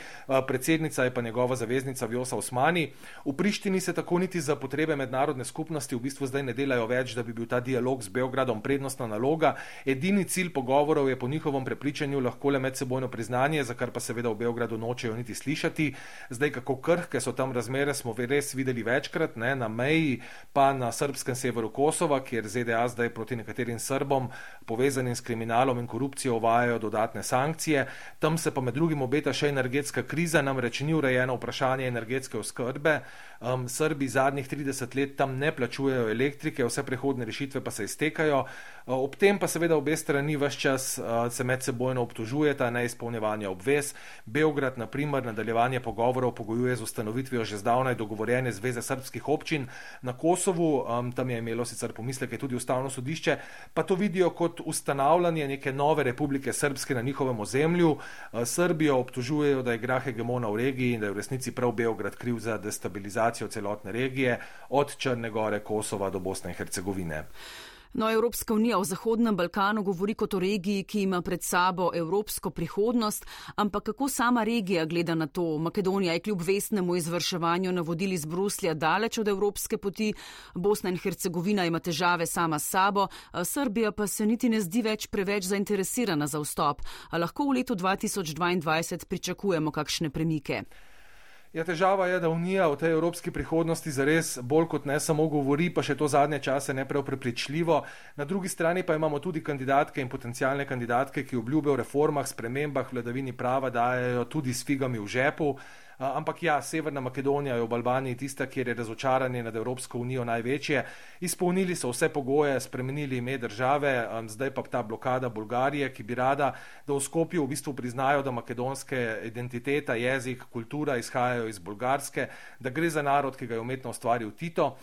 Speaker 11: predsednica je pa njegova zaveznica Vjosa Osmani. V Prištini se tako niti za potrebe mednarodne skupnosti v bistvu zdaj ne delajo več, da bi bil ta dialog z Beogradom prednostna naloga. Edini cilj pogovorov je po njihovem prepričanju lahko le medsebojno priznanje, za kar pa seveda v Beogradu nočejo niti slišati. Zdaj, kako krhke so tam razmere, smo res videli večkrat, ne, na meji, pa na srpskem severu Kosova, kjer Z D A zdaj proti nekaterim Srbom povezanim s kriminalom in korupcijo uvajajo dodatne sankcije. Tam se pa med drugim obeta še energetska kriza, namreč ni urejeno vprašanje energetske oskrbe. Um, Srbi zadnjih trideset let tam ne plačujejo elektrike, vse prehodne rešitve pa se iztekajo. Uh, ob tem pa seveda obe strani ves čas uh, se medsebojno obtožujeta neizpolnjevanja obvez. Beograd, na primer, nadaljevanje pogovorov pogojuje z ustanovitvijo že zdavnaj dogovorjene zveze srbskih občin na Kosovu. Um, tam je imelo sicer pomisleke tudi ustavno sodišče, pa to vidijo kot ustanavljanje neke nove republike srpske na njihovem ozemlju. Uh, Srbijo obtožujejo, da igra hegemona v regiji in da je v resnici prav Beograd kriv za destabilizacijo celotne regije, od Črne Gore, Kosova do Bosne in Hercegovine.
Speaker 2: No, Evropska unija o Zahodnem Balkanu govori kot o regiji, ki ima pred sabo evropsko prihodnost, ampak kako sama regija gleda na to? Makedonija je kljub vestnemu izvrševanju navodil iz Bruslja daleč od evropske poti, Bosna in Hercegovina ima težave sama s sabo, Srbija pa se niti ne zdi več preveč zainteresirana za vstop. A lahko v letu dva tisoč dvaindvajset pričakujemo kakšne premike?
Speaker 11: Ja, težava je, da Unija o tej evropski prihodnosti zares bolj kot ne samo govori, pa še to zadnje čase ne prav prepričljivo. Na drugi strani pa imamo tudi kandidatke in potencialne kandidatke, ki obljube o reformah, spremembah, vladavini prava dajejo tudi s figami v žepu. Ampak ja, Severna Makedonija je v Albaniji tista, kjer je razočaranje nad Evropsko unijo največje. Izpolnili so vse pogoje, spremenili ime države, zdaj pa ta blokada Bolgarije, ki bi rada, da v Skopju v bistvu priznajo, da makedonske identiteta, jezik, kultura izhajajo iz bolgarske, da gre za narod, ki ga je umetno ustvaril Tito.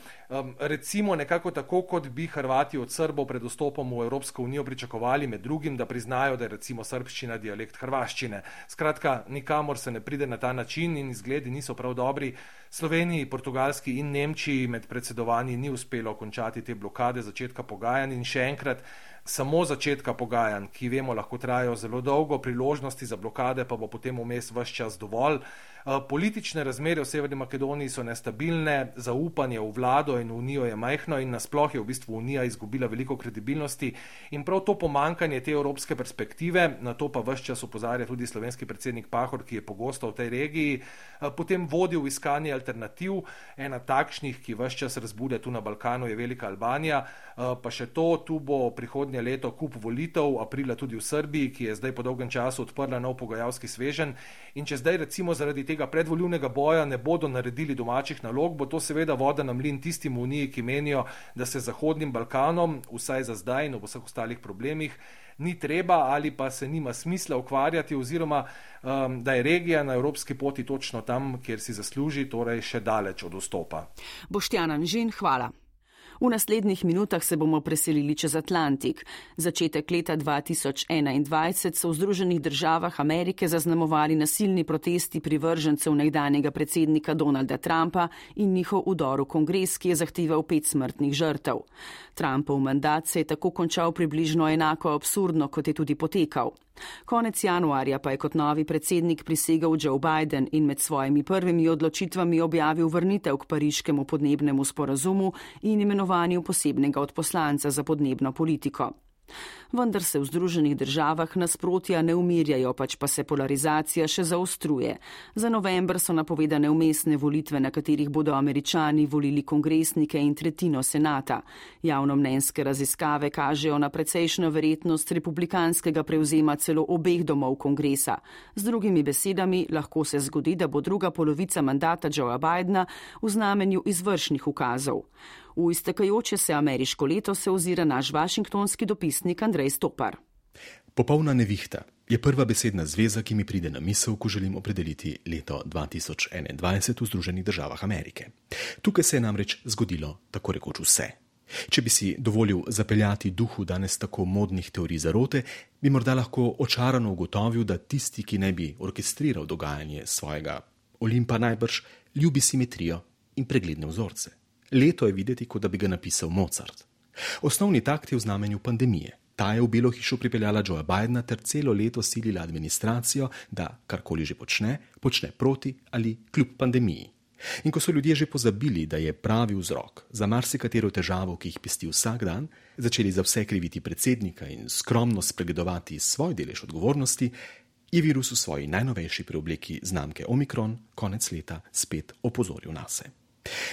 Speaker 11: Recimo nekako tako, kot bi Hrvati od Srbov pred vstopom v Evropsko unijo pričakovali, med drugim, da priznajo, da je recimo srbščina dialekt hrvaščine. Skratka, nikamor se ne pride na ta način in izgledi niso prav dobri. Sloveniji, Portugalski in Nemčiji med predsedovanji ni uspelo končati te blokade začetka pogajanj in še enkrat, samo začetka pogajanj, ki vemo lahko trajajo zelo dolgo, priložnosti za blokade pa bo potem vmes ves čas dovolj. Politične razmere v Severni Makedoniji so nestabilne, zaupanje v vlado in v unijo je majhno in nasploh je v bistvu unija izgubila veliko kredibilnosti in prav to pomankanje te evropske perspektive, na to pa ves čas opozarja tudi slovenski predsednik Pahor, ki je pogosto v tej regiji, potem vodi v iskanje alternativ. Ena takšnih, ki ves čas razbude tu na Balkanu, je Velika Albanija, pa še to, tu bo prihodnje leto kup volitev, aprila tudi v Srbiji, ki je zdaj po dolgem času odprla nov pogajalski sveženj in če zdaj recimo zaradi tega predvoljivnega boja ne bodo naredili domačih nalog, bo to seveda voda na mlin tistim v Uniji, ki menijo, da se Zahodnim Balkanom, vsaj za zdaj in v vseh ostalih problemih, ni treba ali pa se nima smisla ukvarjati oziroma um, da je regija na evropski poti točno tam, kjer si zasluži, torej še daleč od vstopa.
Speaker 2: Boštjan Anžin, hvala. V naslednjih minutah se bomo preselili čez Atlantik. Začetek leta dva tisoč enaindvajset so v Združenih državah Amerike zaznamovali nasilni protesti privržencev nekdanjega predsednika Donalda Trumpa in njihov vdor v kongres, ki je zahteval pet smrtnih žrtev. Trumpov mandat se je tako končal približno enako absurdno, kot je tudi potekal. Konec januarja pa je kot novi predsednik prisegel Joe Biden in med svojimi prvimi odločitvami objavil vrnitev k pariškemu podnebnemu sporazumu in imenovanju posebnega odposlanca za podnebno politiko. Vendar se v Združenih državah nasprotja ne umirjajo, pač pa se polarizacija še zaostruje. Za november so napovedane vmesne volitve, na katerih bodo Američani volili kongresnike in tretjino senata. Javnomnenjske raziskave kažejo na precejšnjo verjetnost republikanskega prevzema celo obeh domov kongresa. Z drugimi besedami, lahko se zgodi, da bo druga polovica mandata Joea Bidena v znamenju izvršnih ukazov. V iztekajoče se ameriško leto se ozira naš vašingtonski dopisnik Andrej Stopar.
Speaker 12: Popolna nevihta je prva besedna zveza, ki mi pride na misel, ko želim opredeliti leto dva tisoč enaindvajset v Združenih državah Amerike. Tukaj se je namreč zgodilo tako rekoč vse. Če bi si dovolil zapeljati duhu danes tako modnih teorij zarote, bi morda lahko očarano ugotovil, da tisti, ki ne bi orkestriral dogajanje svojega Olimpa, najbrž ljubi simetrijo in pregledne vzorce. Leto je videti, kot da bi ga napisal Mozart. Osnovni takt je v znamenju pandemije. Ta je v Belo hišo pripeljala Joea Bidena ter celo leto silila administracijo, da karkoli že počne, počne proti ali kljub pandemiji. In ko so ljudje že pozabili, da je pravi vzrok za marsikatero težavo, ki jih pesti vsak dan, začeli za vse kriviti predsednika in skromno spregledovati svoj delež odgovornosti, je virus v svoji najnovejši preobleki znamke Omikron konec leta spet opozoril nase.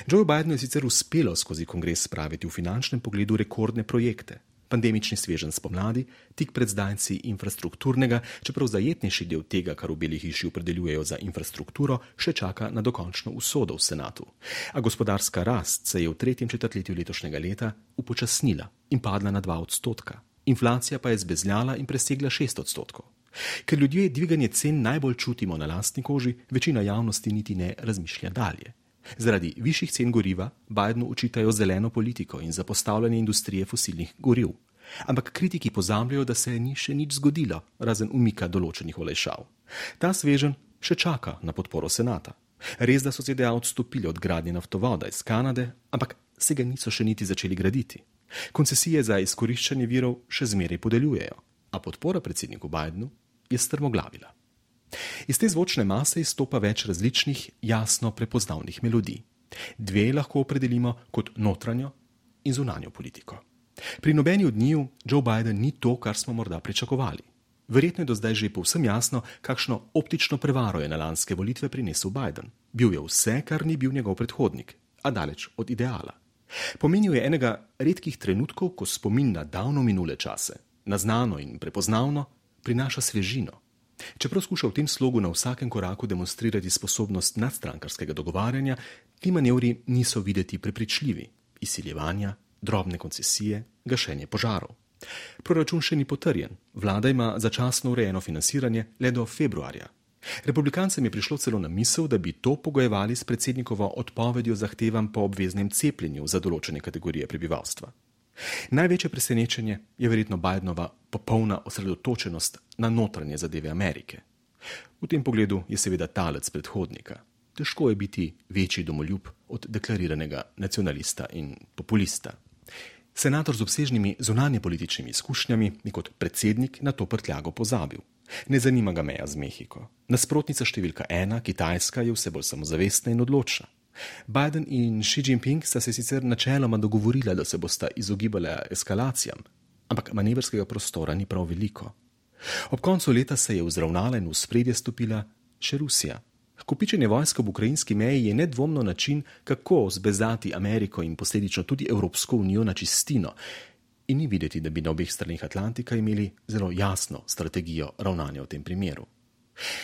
Speaker 12: Joe Bidenu je sicer uspelo skozi kongres spraviti v finančnem pogledu rekordne projekte. Pandemični sveženj spomladi, tik pred zdajci infrastrukturnega, čeprav zajetnejši del tega, kar v Beli hiši opredeljujejo za infrastrukturo, še čaka na dokončno usodo v senatu. A gospodarska rast se je v tretjem četrtletju letošnjega leta upočasnila in padla na dva odstotka. Inflacija pa je zbezljala in presegla šest odstotkov. Ker ljudje dviganje cen najbolj čutimo na lastni koži, večina javnosti niti ne razmišlja dalje. Zaradi višjih cen goriva Bidenu učitajo zeleno politiko in zapostavljanje industrije fosilnih goriv. Ampak kritiki pozabljajo, da se ni še nič zgodilo, razen umika določenih olajšav. Ta sveženj še čaka na podporo senata. Res, da so Z D A odstopili od gradnje naftovoda iz Kanade, ampak se ga niso še niti začeli graditi. Koncesije za izkoriščanje virov še zmeraj podeljujejo, a podpora predsedniku Bidenu je strmoglavila. Iz te zvočne mase izstopa več različnih, jasno prepoznavnih melodij. Dve lahko opredelimo kot notranjo in zunanjo politiko. Pri nobeni od njiju Joe Biden ni to, kar smo morda pričakovali. Verjetno je do zdaj že povsem jasno, kakšno optično prevaro je na lanske volitve prinesel Biden. Bil je vse, kar ni bil njegov predhodnik, a daleč od ideala. Pomenil je enega redkih trenutkov, ko spomin na davno minule čase, na znano in prepoznavno, prinaša svežino. Čeprav skuša v tem slogu na vsakem koraku demonstrirati sposobnost nadstrankarskega dogovarjanja, ti manevri niso videti prepričljivi. Izsiljevanja, drobne koncesije, gašenje požarov. Proračun še ni potrjen. Vlada ima začasno urejeno financiranje le do februarja. Republikancem je prišlo celo na misel, da bi to pogojevali s predsednikovo odpovedjo zahtevam po obveznem cepljenju za določene kategorije prebivalstva. Največje presenečenje je verjetno Bidenova popolna osredotočenost na notranje zadeve Amerike. V tem pogledu je seveda talec predhodnika. Težko je biti večji domoljub od deklariranega nacionalista in populista. Senator z obsežnimi zunanjepolitičnimi izkušnjami je kot predsednik na to prtljago pozabil. Ne zanima ga meja z Mehiko. Nasprotnica številka ena, Kitajska, je vse bolj samozavestna in odločna. Biden in Xi Jinping sta se sicer načeloma dogovorila, da se bosta izogibala eskalacijam, ampak manevrskega prostora ni prav veliko. Ob koncu leta se je vzravnala in v spredje stopila še Rusija. Kopičenje vojska v ukrajinski meji je nedvomno način, kako zbezati Ameriko in posledično tudi Evropsko unijo na čistino. In ni videti, da bi na obeh stranih Atlantika imeli zelo jasno strategijo ravnanja v tem primeru.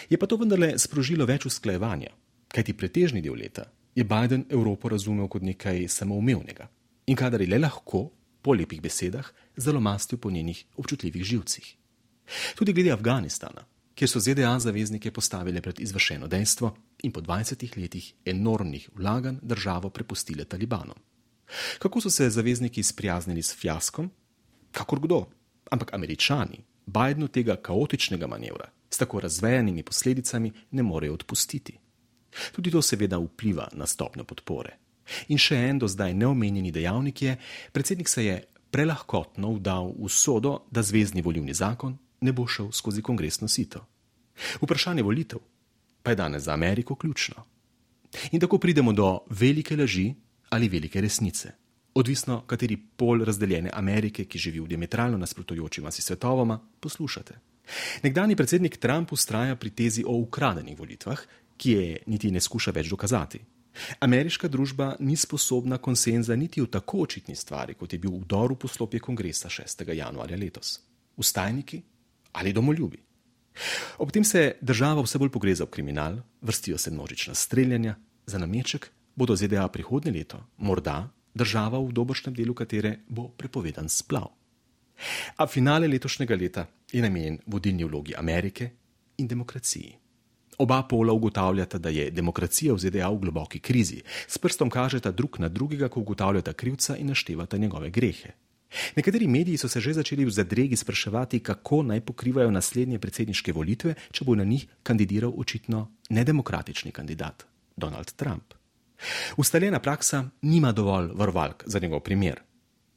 Speaker 12: Je pa to vendarle sprožilo več usklajevanja, kajti pretežni del leta je Biden Evropo razumel kot nekaj samoumevnega in kadar je le lahko, po lepih besedah, zalomastil po njenih občutljivih živcih. Tudi glede Afganistana, kjer so Z D A zaveznike postavile pred izvršeno dejstvo in po dvajsetih letih enormnih vlaganj državo prepustile Talibanom. Kako so se zavezniki sprijaznili s fiaskom? Kakor kdo. Ampak Američani Bidenu tega kaotičnega manevra s tako razvejanimi posledicami ne morejo odpustiti. Tudi to seveda vpliva na stopnjo podpore. In še en do zdaj neomenjeni dejavnik je, predsednik se je prelahkotno vdal v sodo, da zvezni volilni zakon ne bo šel skozi kongresno sito. Vprašanje volitev pa je danes za Ameriko ključno. In tako pridemo do velike laži ali velike resnice. Odvisno, kateri pol razdeljene Amerike, ki živi v diametralno nasprotujočima si svetovoma, poslušate. Nekdanji predsednik Trump vztraja pri tezi o ukradenih volitvah, ki je niti ne skuša več dokazati. Ameriška družba ni sposobna konsenza niti v tako očitni stvari, kot je bil vdor v poslopje kongresa šestega januarja letos. Vstajniki ali domoljubi. Ob tem se država vse bolj pogreza v kriminal, vrstijo se množična streljanja, za nameček bodo Z D A prihodnje leto morda država, v dobršnem delu katere bo prepovedan splav. A finale letošnjega leta je namenjen vodilni vlogi Amerike in demokraciji. Oba pola ugotavljata, da je demokracija v Z D A v globoki krizi, s prstom kažeta drug na drugega, ko ugotavljata krivca in naštevata njegove grehe. Nekateri mediji so se že začeli v zadregi spraševati, kako naj pokrivajo naslednje predsedniške volitve, če bo na njih kandidiral očitno nedemokratični kandidat, Donald Trump. Ustaljena praksa nima dovolj varovalk za njegov primer.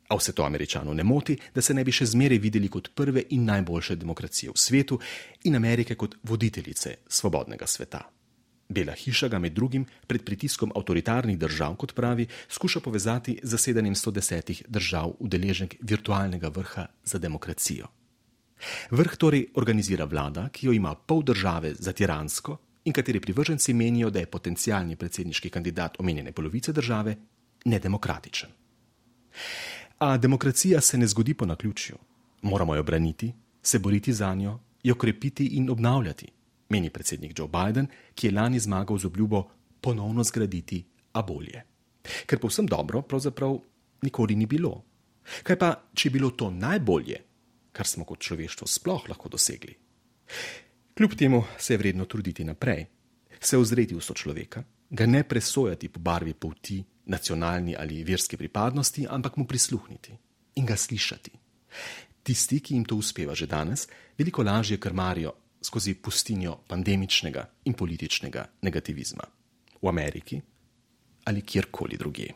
Speaker 12: A vse to Američanov ne moti, da se ne bi še zmeraj videli kot prve in najboljše demokracije v svetu in Amerike kot voditeljice svobodnega sveta. Bela hiša ga med drugim pred pritiskom avtoritarnih držav, kot pravi, skuša povezati z zasedanjem sto desetih držav udeleženk virtualnega vrha za demokracijo. Vrh torej organizira vlada, ki jo ima pol države za tiransko in kateri privrženci menijo, da je potencialni predsedniški kandidat omenjene polovice države nedemokratičen. A demokracija se ne zgodi po naključju. Moramo jo braniti, se boriti za njo, jo krepiti in obnavljati, meni predsednik Joe Biden, ki je lani zmagal z obljubo ponovno zgraditi, a bolje. Ker povsem dobro pravzaprav nikoli ni bilo. Kaj pa, če je bilo to najbolje, kar smo kot človeštvo sploh lahko dosegli? Kljub temu se je vredno truditi naprej, se ozreti v sočloveka, ga ne presojati po barvi polti, nacionalni ali verski pripadnosti, ampak mu prisluhniti in ga slišati. Tisti, ki jim to uspeva že danes, veliko lažje krmarijo skozi pustinjo pandemičnega in političnega negativizma. V Ameriki ali kjerkoli drugje.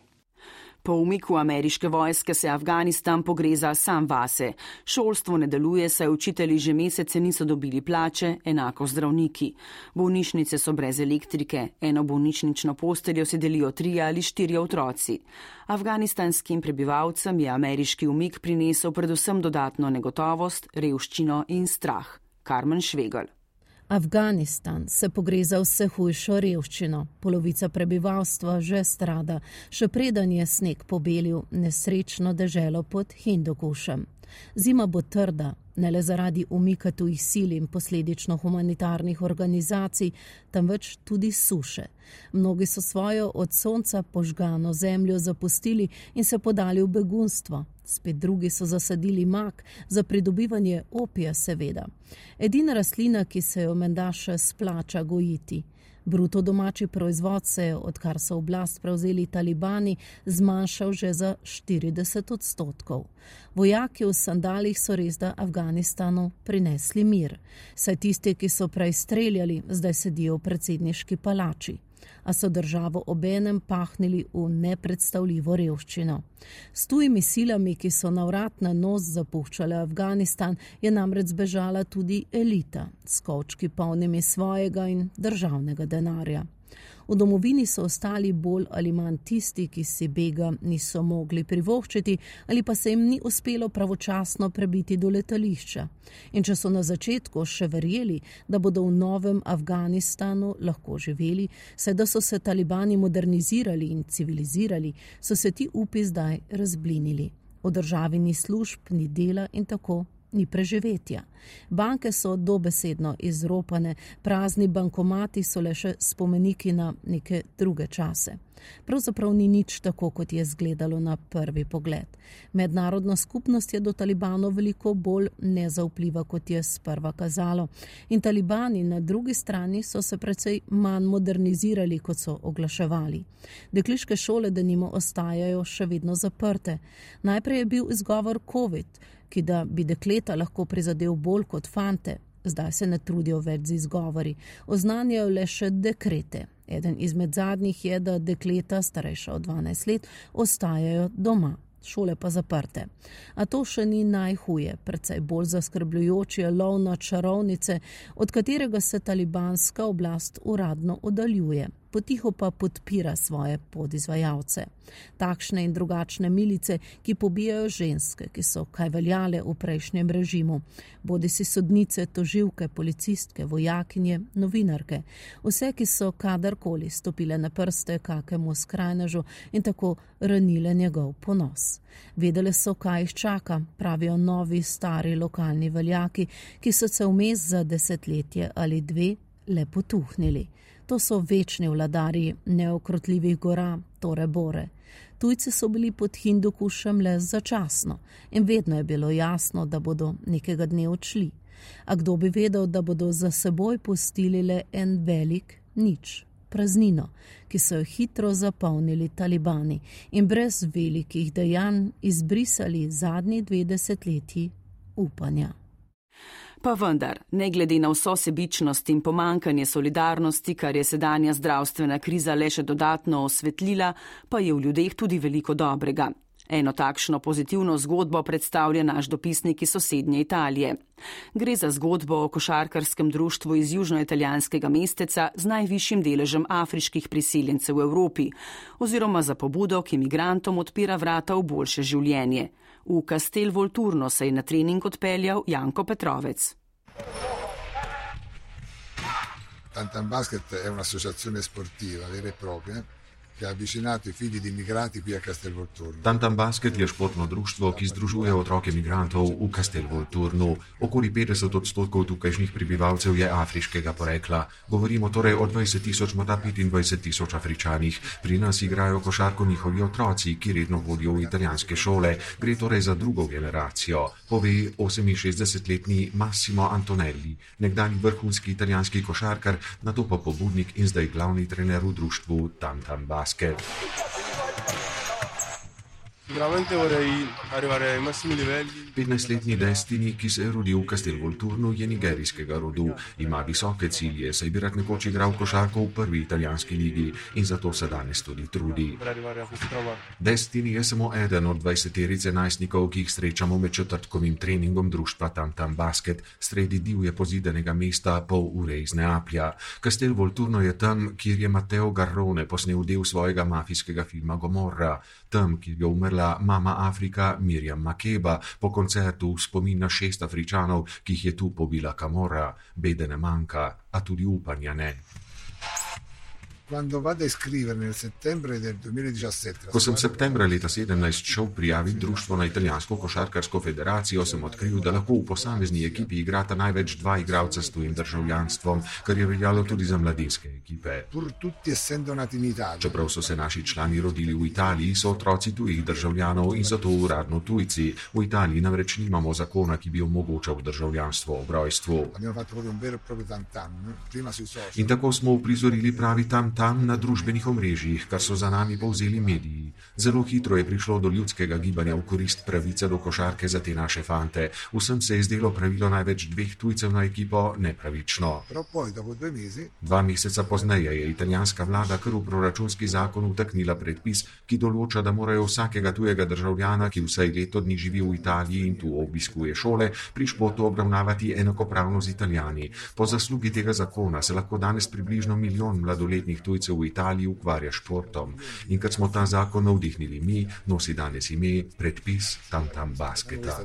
Speaker 2: Po umiku ameriške vojske se Afganistan pogreza sam vase. Šolstvo ne deluje, saj učitelji že mesece niso dobili plače, enako zdravniki. Bolnišnice so brez elektrike, eno bolnišnično posteljo se delijo trije ali štirje otroci. Afganistanskim prebivalcem je ameriški umik prinesel predvsem dodatno negotovost, revščino in strah. Karmen Švegelj.
Speaker 13: Afganistan se pogreza vse hujšo revščino. Polovica prebivalstva že strada, še preden je sneg pobelil nesrečno deželo pod Hindukušem. Zima bo trda, ne le zaradi umika tujih sil in posledično humanitarnih organizacij, temveč tudi suše. Mnogi so svojo od sonca požgano zemljo zapustili in se podali v begunstvo. Spet drugi so zasadili mak, za pridobivanje opija seveda. Edina rastlina, ki se jo menda še splača gojiti. Bruto domači proizvod se je, odkar so oblast prevzeli talibani, zmanjšal že za štirideset odstotkov. Vojaki v sandalih so res da Afganistanu prinesli mir. Saj tisti, ki so prej streljali, zdaj sedijo v predsedniški palači. A so državo obenem pahnili v nepredstavljivo revščino. S tujimi silami, ki so na vrat na nos zapuščale Afganistan, je namreč zbežala tudi elita, s kovčki polnimi svojega in državnega denarja. V domovini so ostali bolj ali manj tisti, ki si bega niso mogli privoščiti ali pa se jim ni uspelo pravočasno prebiti do letališča. In če so na začetku še verjeli, da bodo v novem Afganistanu lahko živeli, saj da so se talibani modernizirali in civilizirali, so se ti upi zdaj razblinili. V državi ni služb, ni dela in tako ni preživetja. Banke so dobesedno izropane, prazni bankomati so le še spomeniki na neke druge čase. Pravzaprav ni nič tako, kot je izgledalo na prvi pogled. Mednarodna skupnost je do talibanov veliko bolj nezaupljiva, kot je sprva kazalo. In talibani na drugi strani so se precej manj modernizirali, kot so oglaševali. Dekliške šole denimo ostajajo še vedno zaprte. Najprej je bil izgovor COVID, ki da bi dekleta lahko prizadel bolj kot fante. Zdaj se ne trudijo več z izgovori. Oznanjajo le še dekrete. Eden izmed zadnjih je, da dekleta, starejša od dvanajst let, ostajajo doma. Šole pa zaprte. A to še ni najhuje. Precej bolj zaskrbljujoč je lov na čarovnice, od katerega se talibanska oblast uradno oddaljuje. Potiho pa podpira svoje podizvajalce. Takšne in drugačne milice, ki pobijajo ženske, ki so kaj veljale v prejšnjem režimu. Bodisi sodnice, tožilke, policistke, vojakinje, novinarke. Vse, ki so kadarkoli stopile na prste kakemu skrajnežu in tako ranile njegov ponos. Vedele so, kaj jih čaka, pravijo novi, stari lokalni veljaki, ki so se vmes za desetletje ali dve le potuhnili. To so večni vladarji neokrotljivih gora, Tore Bore. Tujci so bili pod Hindukušem le začasno in vedno je bilo jasno, da bodo nekega dne odšli. A kdo bi vedel, da bodo za seboj pustili le en velik nič, praznino, ki so jo hitro zapolnili talibani in brez velikih dejanj izbrisali zadnji dve desetletji upanja.
Speaker 2: Pa vendar, ne glede na vso sebičnost in pomankanje solidarnosti, kar je sedanja zdravstvena kriza le še dodatno osvetlila, pa je v ljudeh tudi veliko dobrega. Eno takšno pozitivno zgodbo predstavlja naš dopisnik iz sosednje Italije. Gre za zgodbo o košarkarskem društvu iz južnoitalijanskega mesteca z najvišjim deležem afriških priseljencev v Evropi, oziroma za pobudo, ki migrantom odpira vrata v boljše življenje. V Castel Volturno se je na trening odpeljal Janko Petrovec.
Speaker 14: Tantam Basket è un'associazione sportiva vera e propria che ha avvicinato i figli di immigrati qui a Castel Volturno.
Speaker 15: Tantam Basket je športno društvo, ki združuje otroke migrantov v Castel Volturno. Okoli petdeset odstotkov tukajšnjih prebivalcev je afriškega porekla. Govorimo torej o dvajset tisoč, morda petindvajset tisoč Afričanih. Pri nas igrajo košarko njihovi otroci, ki redno hodijo v italijanske šole. Gre torej za drugo generacijo, pove oseminšestdesetletni Massimo Antonelli, nekdanji vrhunski italijanski košarkar, nato pa pobudnik in zdaj glavni trener v društvu Tantam Basket. petnajstletni Destiny, ki se je rodil v Castel Volturno, je nigerijskega rodu. Ima visoke cilje, saj bi rad nekoč igral košarko v prvi italijanski ligi in zato se danes tudi trudi. Destiny je samo eden od dvajseterice najstnikov, ki jih srečamo med četrtkovim treningom društva Tantam Basket, sredi divje pozidanega mesta pol ure iz Neaplja. Castel Volturno je tam, kjer je Matteo Garrone posnel del svojega mafijskega filma Gomorra, tam, kjer je umrla mama Afrika Miriam Makeba po koncertu v spomin na šest Afričanov, ki jih je tu pobila Camorra. Bede ne manjka, a tudi upanja ne.
Speaker 14: Quando vado a iscrivermi nel settembre del duemiladiciassette.
Speaker 15: Ko sem septembra leta sedemnajst šel prijaviti društvo na italijansko košarkarsko federacijo, sem odkril, da lahko v posamezni ekipi igrata največ dva igralca s tujim državljanstvom, kar je veljalo tudi za mladinske ekipe.
Speaker 14: Pur tutti essendo nati in Italia.
Speaker 15: Čeprav so se naši člani rodili v Italiji, so otroci tujih državljanov in zato uradno tujci. V Italiji namreč nimamo zakona, ki bi omogočal državljanstvo ob rojstvu. In tako smo uprizorili pravi tam tam na družbenih omrežjih, kar so za nami povzeli mediji. Zelo hitro je prišlo do ljudskega gibanja v korist pravice do košarke za te naše fante. Vsem se je zdelo pravilo največ dveh tujcev na ekipo nepravično. Dva meseca pozneje je italijanska vlada kar v proračunski zakon vtaknila predpis, ki določa, da morajo vsakega tujega državljana, ki vsaj leto dni živi v Italiji in tu obiskuje šole, pri športu obravnavati enakopravno z Italijani. Po zaslugi tega zakona se lahko danes približno milijon mladoletnih tujcev v Italiji ukvarja športom. In ker smo ta zakon navdihnili mi, nosi danes ime predpis Tantam Basketa.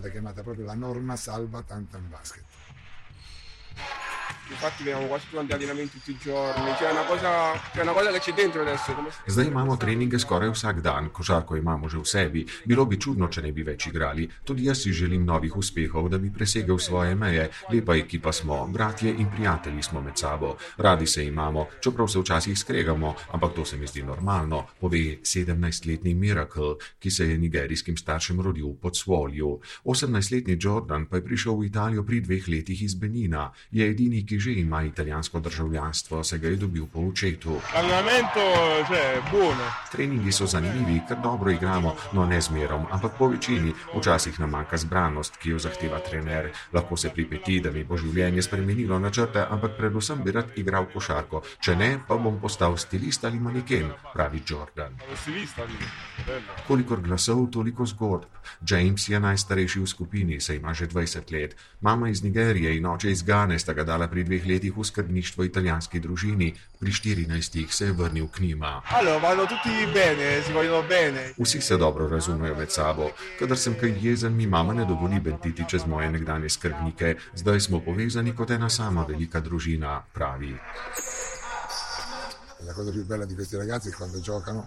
Speaker 16: infatti veniamo quasi tutti allenamenti tutti i giorni, c'è una cosa, c'è una cosa che c'è dentro adesso. Come...
Speaker 15: Zdaj imamo treninge skoraj vsak dan, košarko imamo že v sebi. Bilo bi čudno, če ne bi več igrali. Tudi jaz si želim novih uspehov, da bi presegel svoje meje. Lepa ekipa smo, bratje in prijatelji smo med sabo. Radi se imamo, čeprav se včasih skregamo, ampak to se mi zdi normalno, pove sedemnajstletni Miracle, ki se je nigerijskim staršem rodil pod Svolju. osemnajstletni Jordan pa je prišel v Italijo pri dveh letih iz Benina. Je edini, ki že ima italijansko državljanstvo, se ga je dobil po očetu. Treningi so zanimivi, ker dobro igramo, no ne zmerom, ampak po večini. Včasih nam manjka zbranost, ki jo zahteva trener. Lahko se pripeti, da mi bo življenje spremenilo načrte, ampak predvsem bi rad igral košarko. Če ne, pa bom postal stilist ali maneken, pravi Jordan. Kolikor glasov, toliko zgodb. James je najstarejši v skupini, se ima že dvajset let. Mama iz Nigerije in oče iz Gane sta ga dala pri dveh letih v skrbništvo italijanski družini. Pri štirinajstih se je vrnil k njima. Vsi se dobro razumejo med sabo. Kadar sem kaj jezen, mi mama ne dovoli bentiti čez moje nekdanje skrbnike. Zdaj smo povezani kot ena sama velika družina, pravi.
Speaker 14: La cosa più bella di questi ragazzi è quando giocano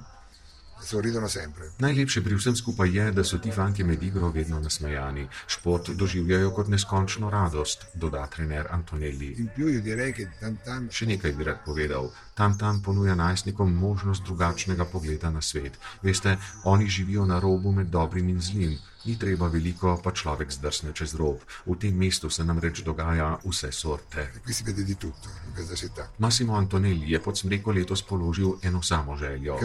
Speaker 14: sorridono sempre.
Speaker 15: Najlepše pri vsem skupaj je, da so ti fantje med igro vedno nasmejani. Šport doživljajo kot neskončno radost, doda trener Antonelli.
Speaker 14: In più io direi che Tam Tam...
Speaker 15: Še nekaj bi rad povedal. Tam Tam ponuja najstnikom možnost drugačnega pogleda na svet. Veste, oni živijo na robu med dobrim in zlim. Ni treba veliko, pa človek zdrsne čez rob. V tem mestu se namreč dogaja vse sorte. Massimo Antonelli je pod smreko letos položil eno samo željo.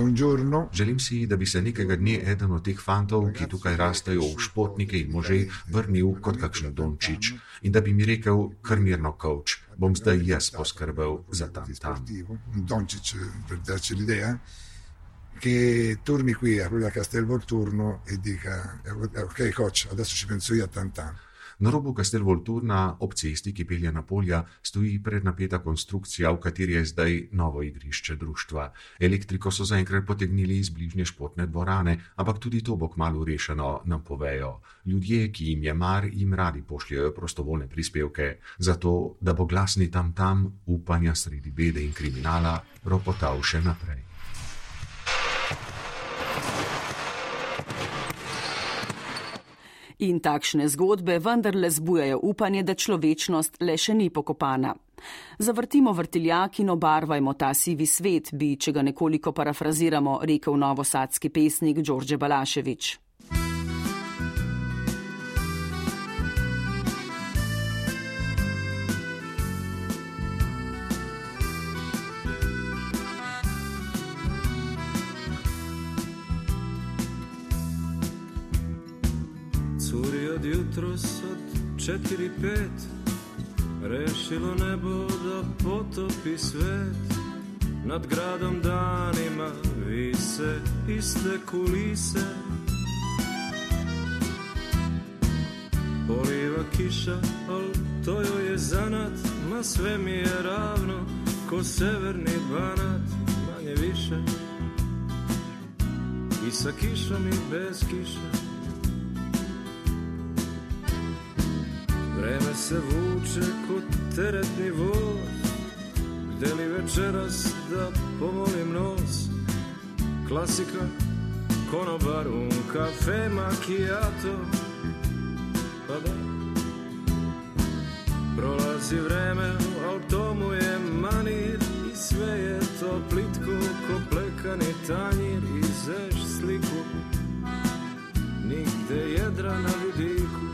Speaker 15: Želim si, da bi se nekega dne eden od teh fantov, ki tukaj rastejo v športnike in može, vrnil kot kakšen Dončić in da bi mi rekel, kar mirno, coach, bom zdaj jaz poskrbel za Tam Tam.
Speaker 14: Dončić, per darci l'idea, che torni qui a quello a Castel Volturno e dica ok coach, adesso ci penso io a Tam Tam.
Speaker 15: Na robu Castel Volturna, ob cesti, ki pelje na polja, stoji prednapeta konstrukcija, v kateri je zdaj novo igrišče društva. Elektriko so zaenkrat potegnili iz bližnje športne dvorane, ampak tudi to bo kmalu rešeno, nam povejo. Ljudje, ki jim je mar, jim radi pošljajo prostovoljne prispevke, zato da bo glasni Tam Tam upanja sredi bede in kriminala ropotal še naprej.
Speaker 2: In takšne zgodbe vendarle zbujajo upanje, da človečnost le še ni pokopana. Zavrtimo vrtiljak in obarvajmo ta sivi svet, bi, če ga nekoliko parafraziramo, rekel novosadski pesnik Đorđe Balašević.
Speaker 3: Jutros od četiri pet rešilo nebo da potopi svet. Nad gradom danima vise iste kulise. Poliva kiša, al to joj je zanat, ma sve mi je ravno ko severni Banat, manje više. I sa kišom i bez kiša. Vreme se vuče kod teretni voz, gde li večeras da pomolim nos. Klasika, konobar, un kafe, macchiato, pa da. Prolazi vreme, al tomu je manir i sve je to plitko ko plekani tanjir. I zeš sliku, nigde jedra na vidiku.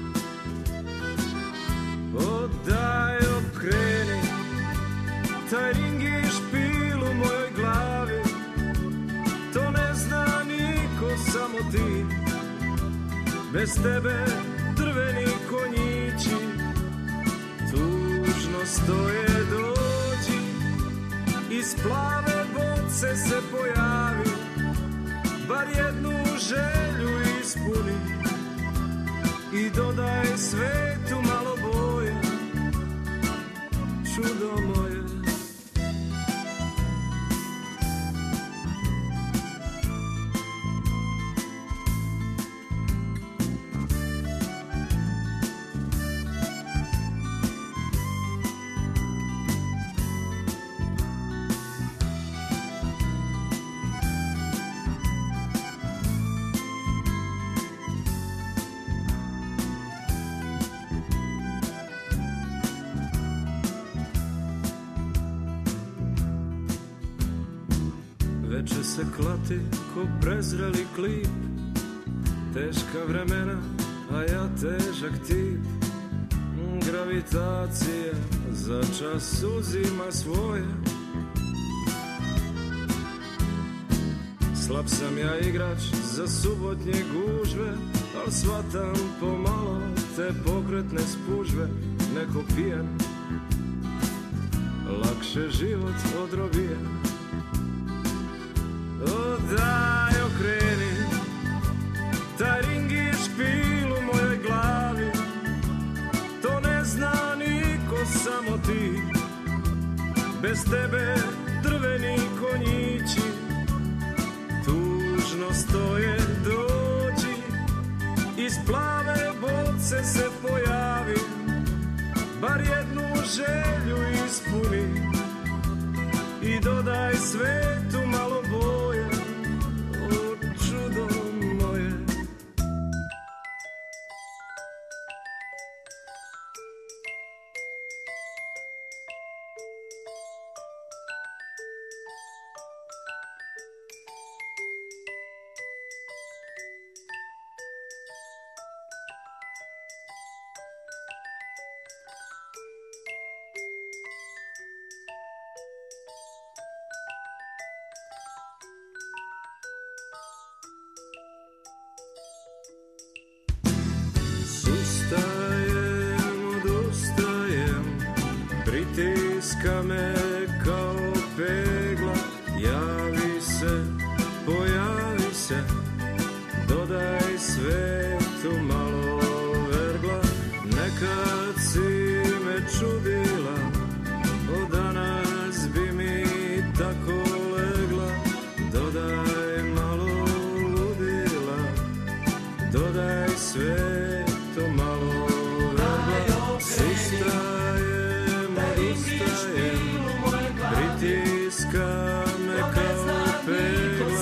Speaker 3: Odaj okreni, taj ring je špil u mojoj glavi. To ne zna niko, samo ti. Bez tebe drveni konjići tužno stoje, dođi. Iz plave boce se pojavi, bar jednu želju ispuni. I dodaj svetu malo boje, čudo moje. će se klati ko prezreli klip. Teška vremena, a ja težak tip. Gravitacija za čas uzima svoje. Slab sam ja igrač za subotnje gužve, al svatam pomalo te pokretne spužve. Neko pijen, lakše život odrobijen. O daj okreni, taj ring je špil u mojoj glavi. To ne zna niko, samo ti. Bez tebe drveni konjići tužno stoje. Dođi, iz plave boce se pojavi, bar jednu želju ispuni i dodaj svetu malo boje, o čudo moje. Pritiska me kao pegla, javi se, pojavi se, dodaj svetu malo vergla. Nekad si me čudila, od danas bi mi tako legla. Dodaj malo ludila, dodaj svetu malo vergla. Sustrajem, odustajem, pritiska me kao pegla,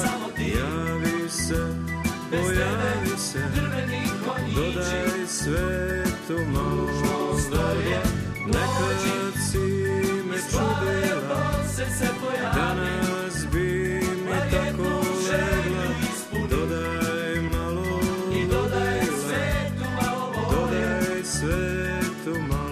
Speaker 3: javi se, pojavi se, dodaj svetu malo vergla. Nekad si me čudila, danas bi mi tako legla. Dodaj malo ludila, dodaj svetu malo.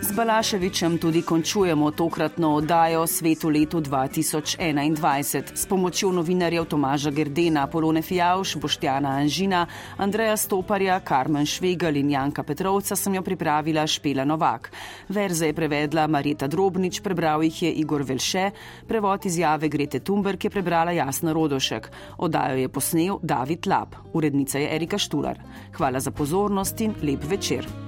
Speaker 2: Z Balaševićem tudi končujemo tokratno oddajo Svet v letu dva tisoč enaindvajset. S pomočjo novinarjev Tomaža Gerdena, Polone Fijavš, Boštjana Anžina, Andreja Stoparja, Karmen Švegal in Janka Petrovca sem jo pripravila Špela Novak. Verze je prevedla Marjeta Drobnič, prebral jih je Igor Velše, prevod izjave Grete Thunberg je prebrala Jasna Rodošek. Oddajo je posnel David Lab, urednica je Erika Štular. Hvala za pozornost in lep večer.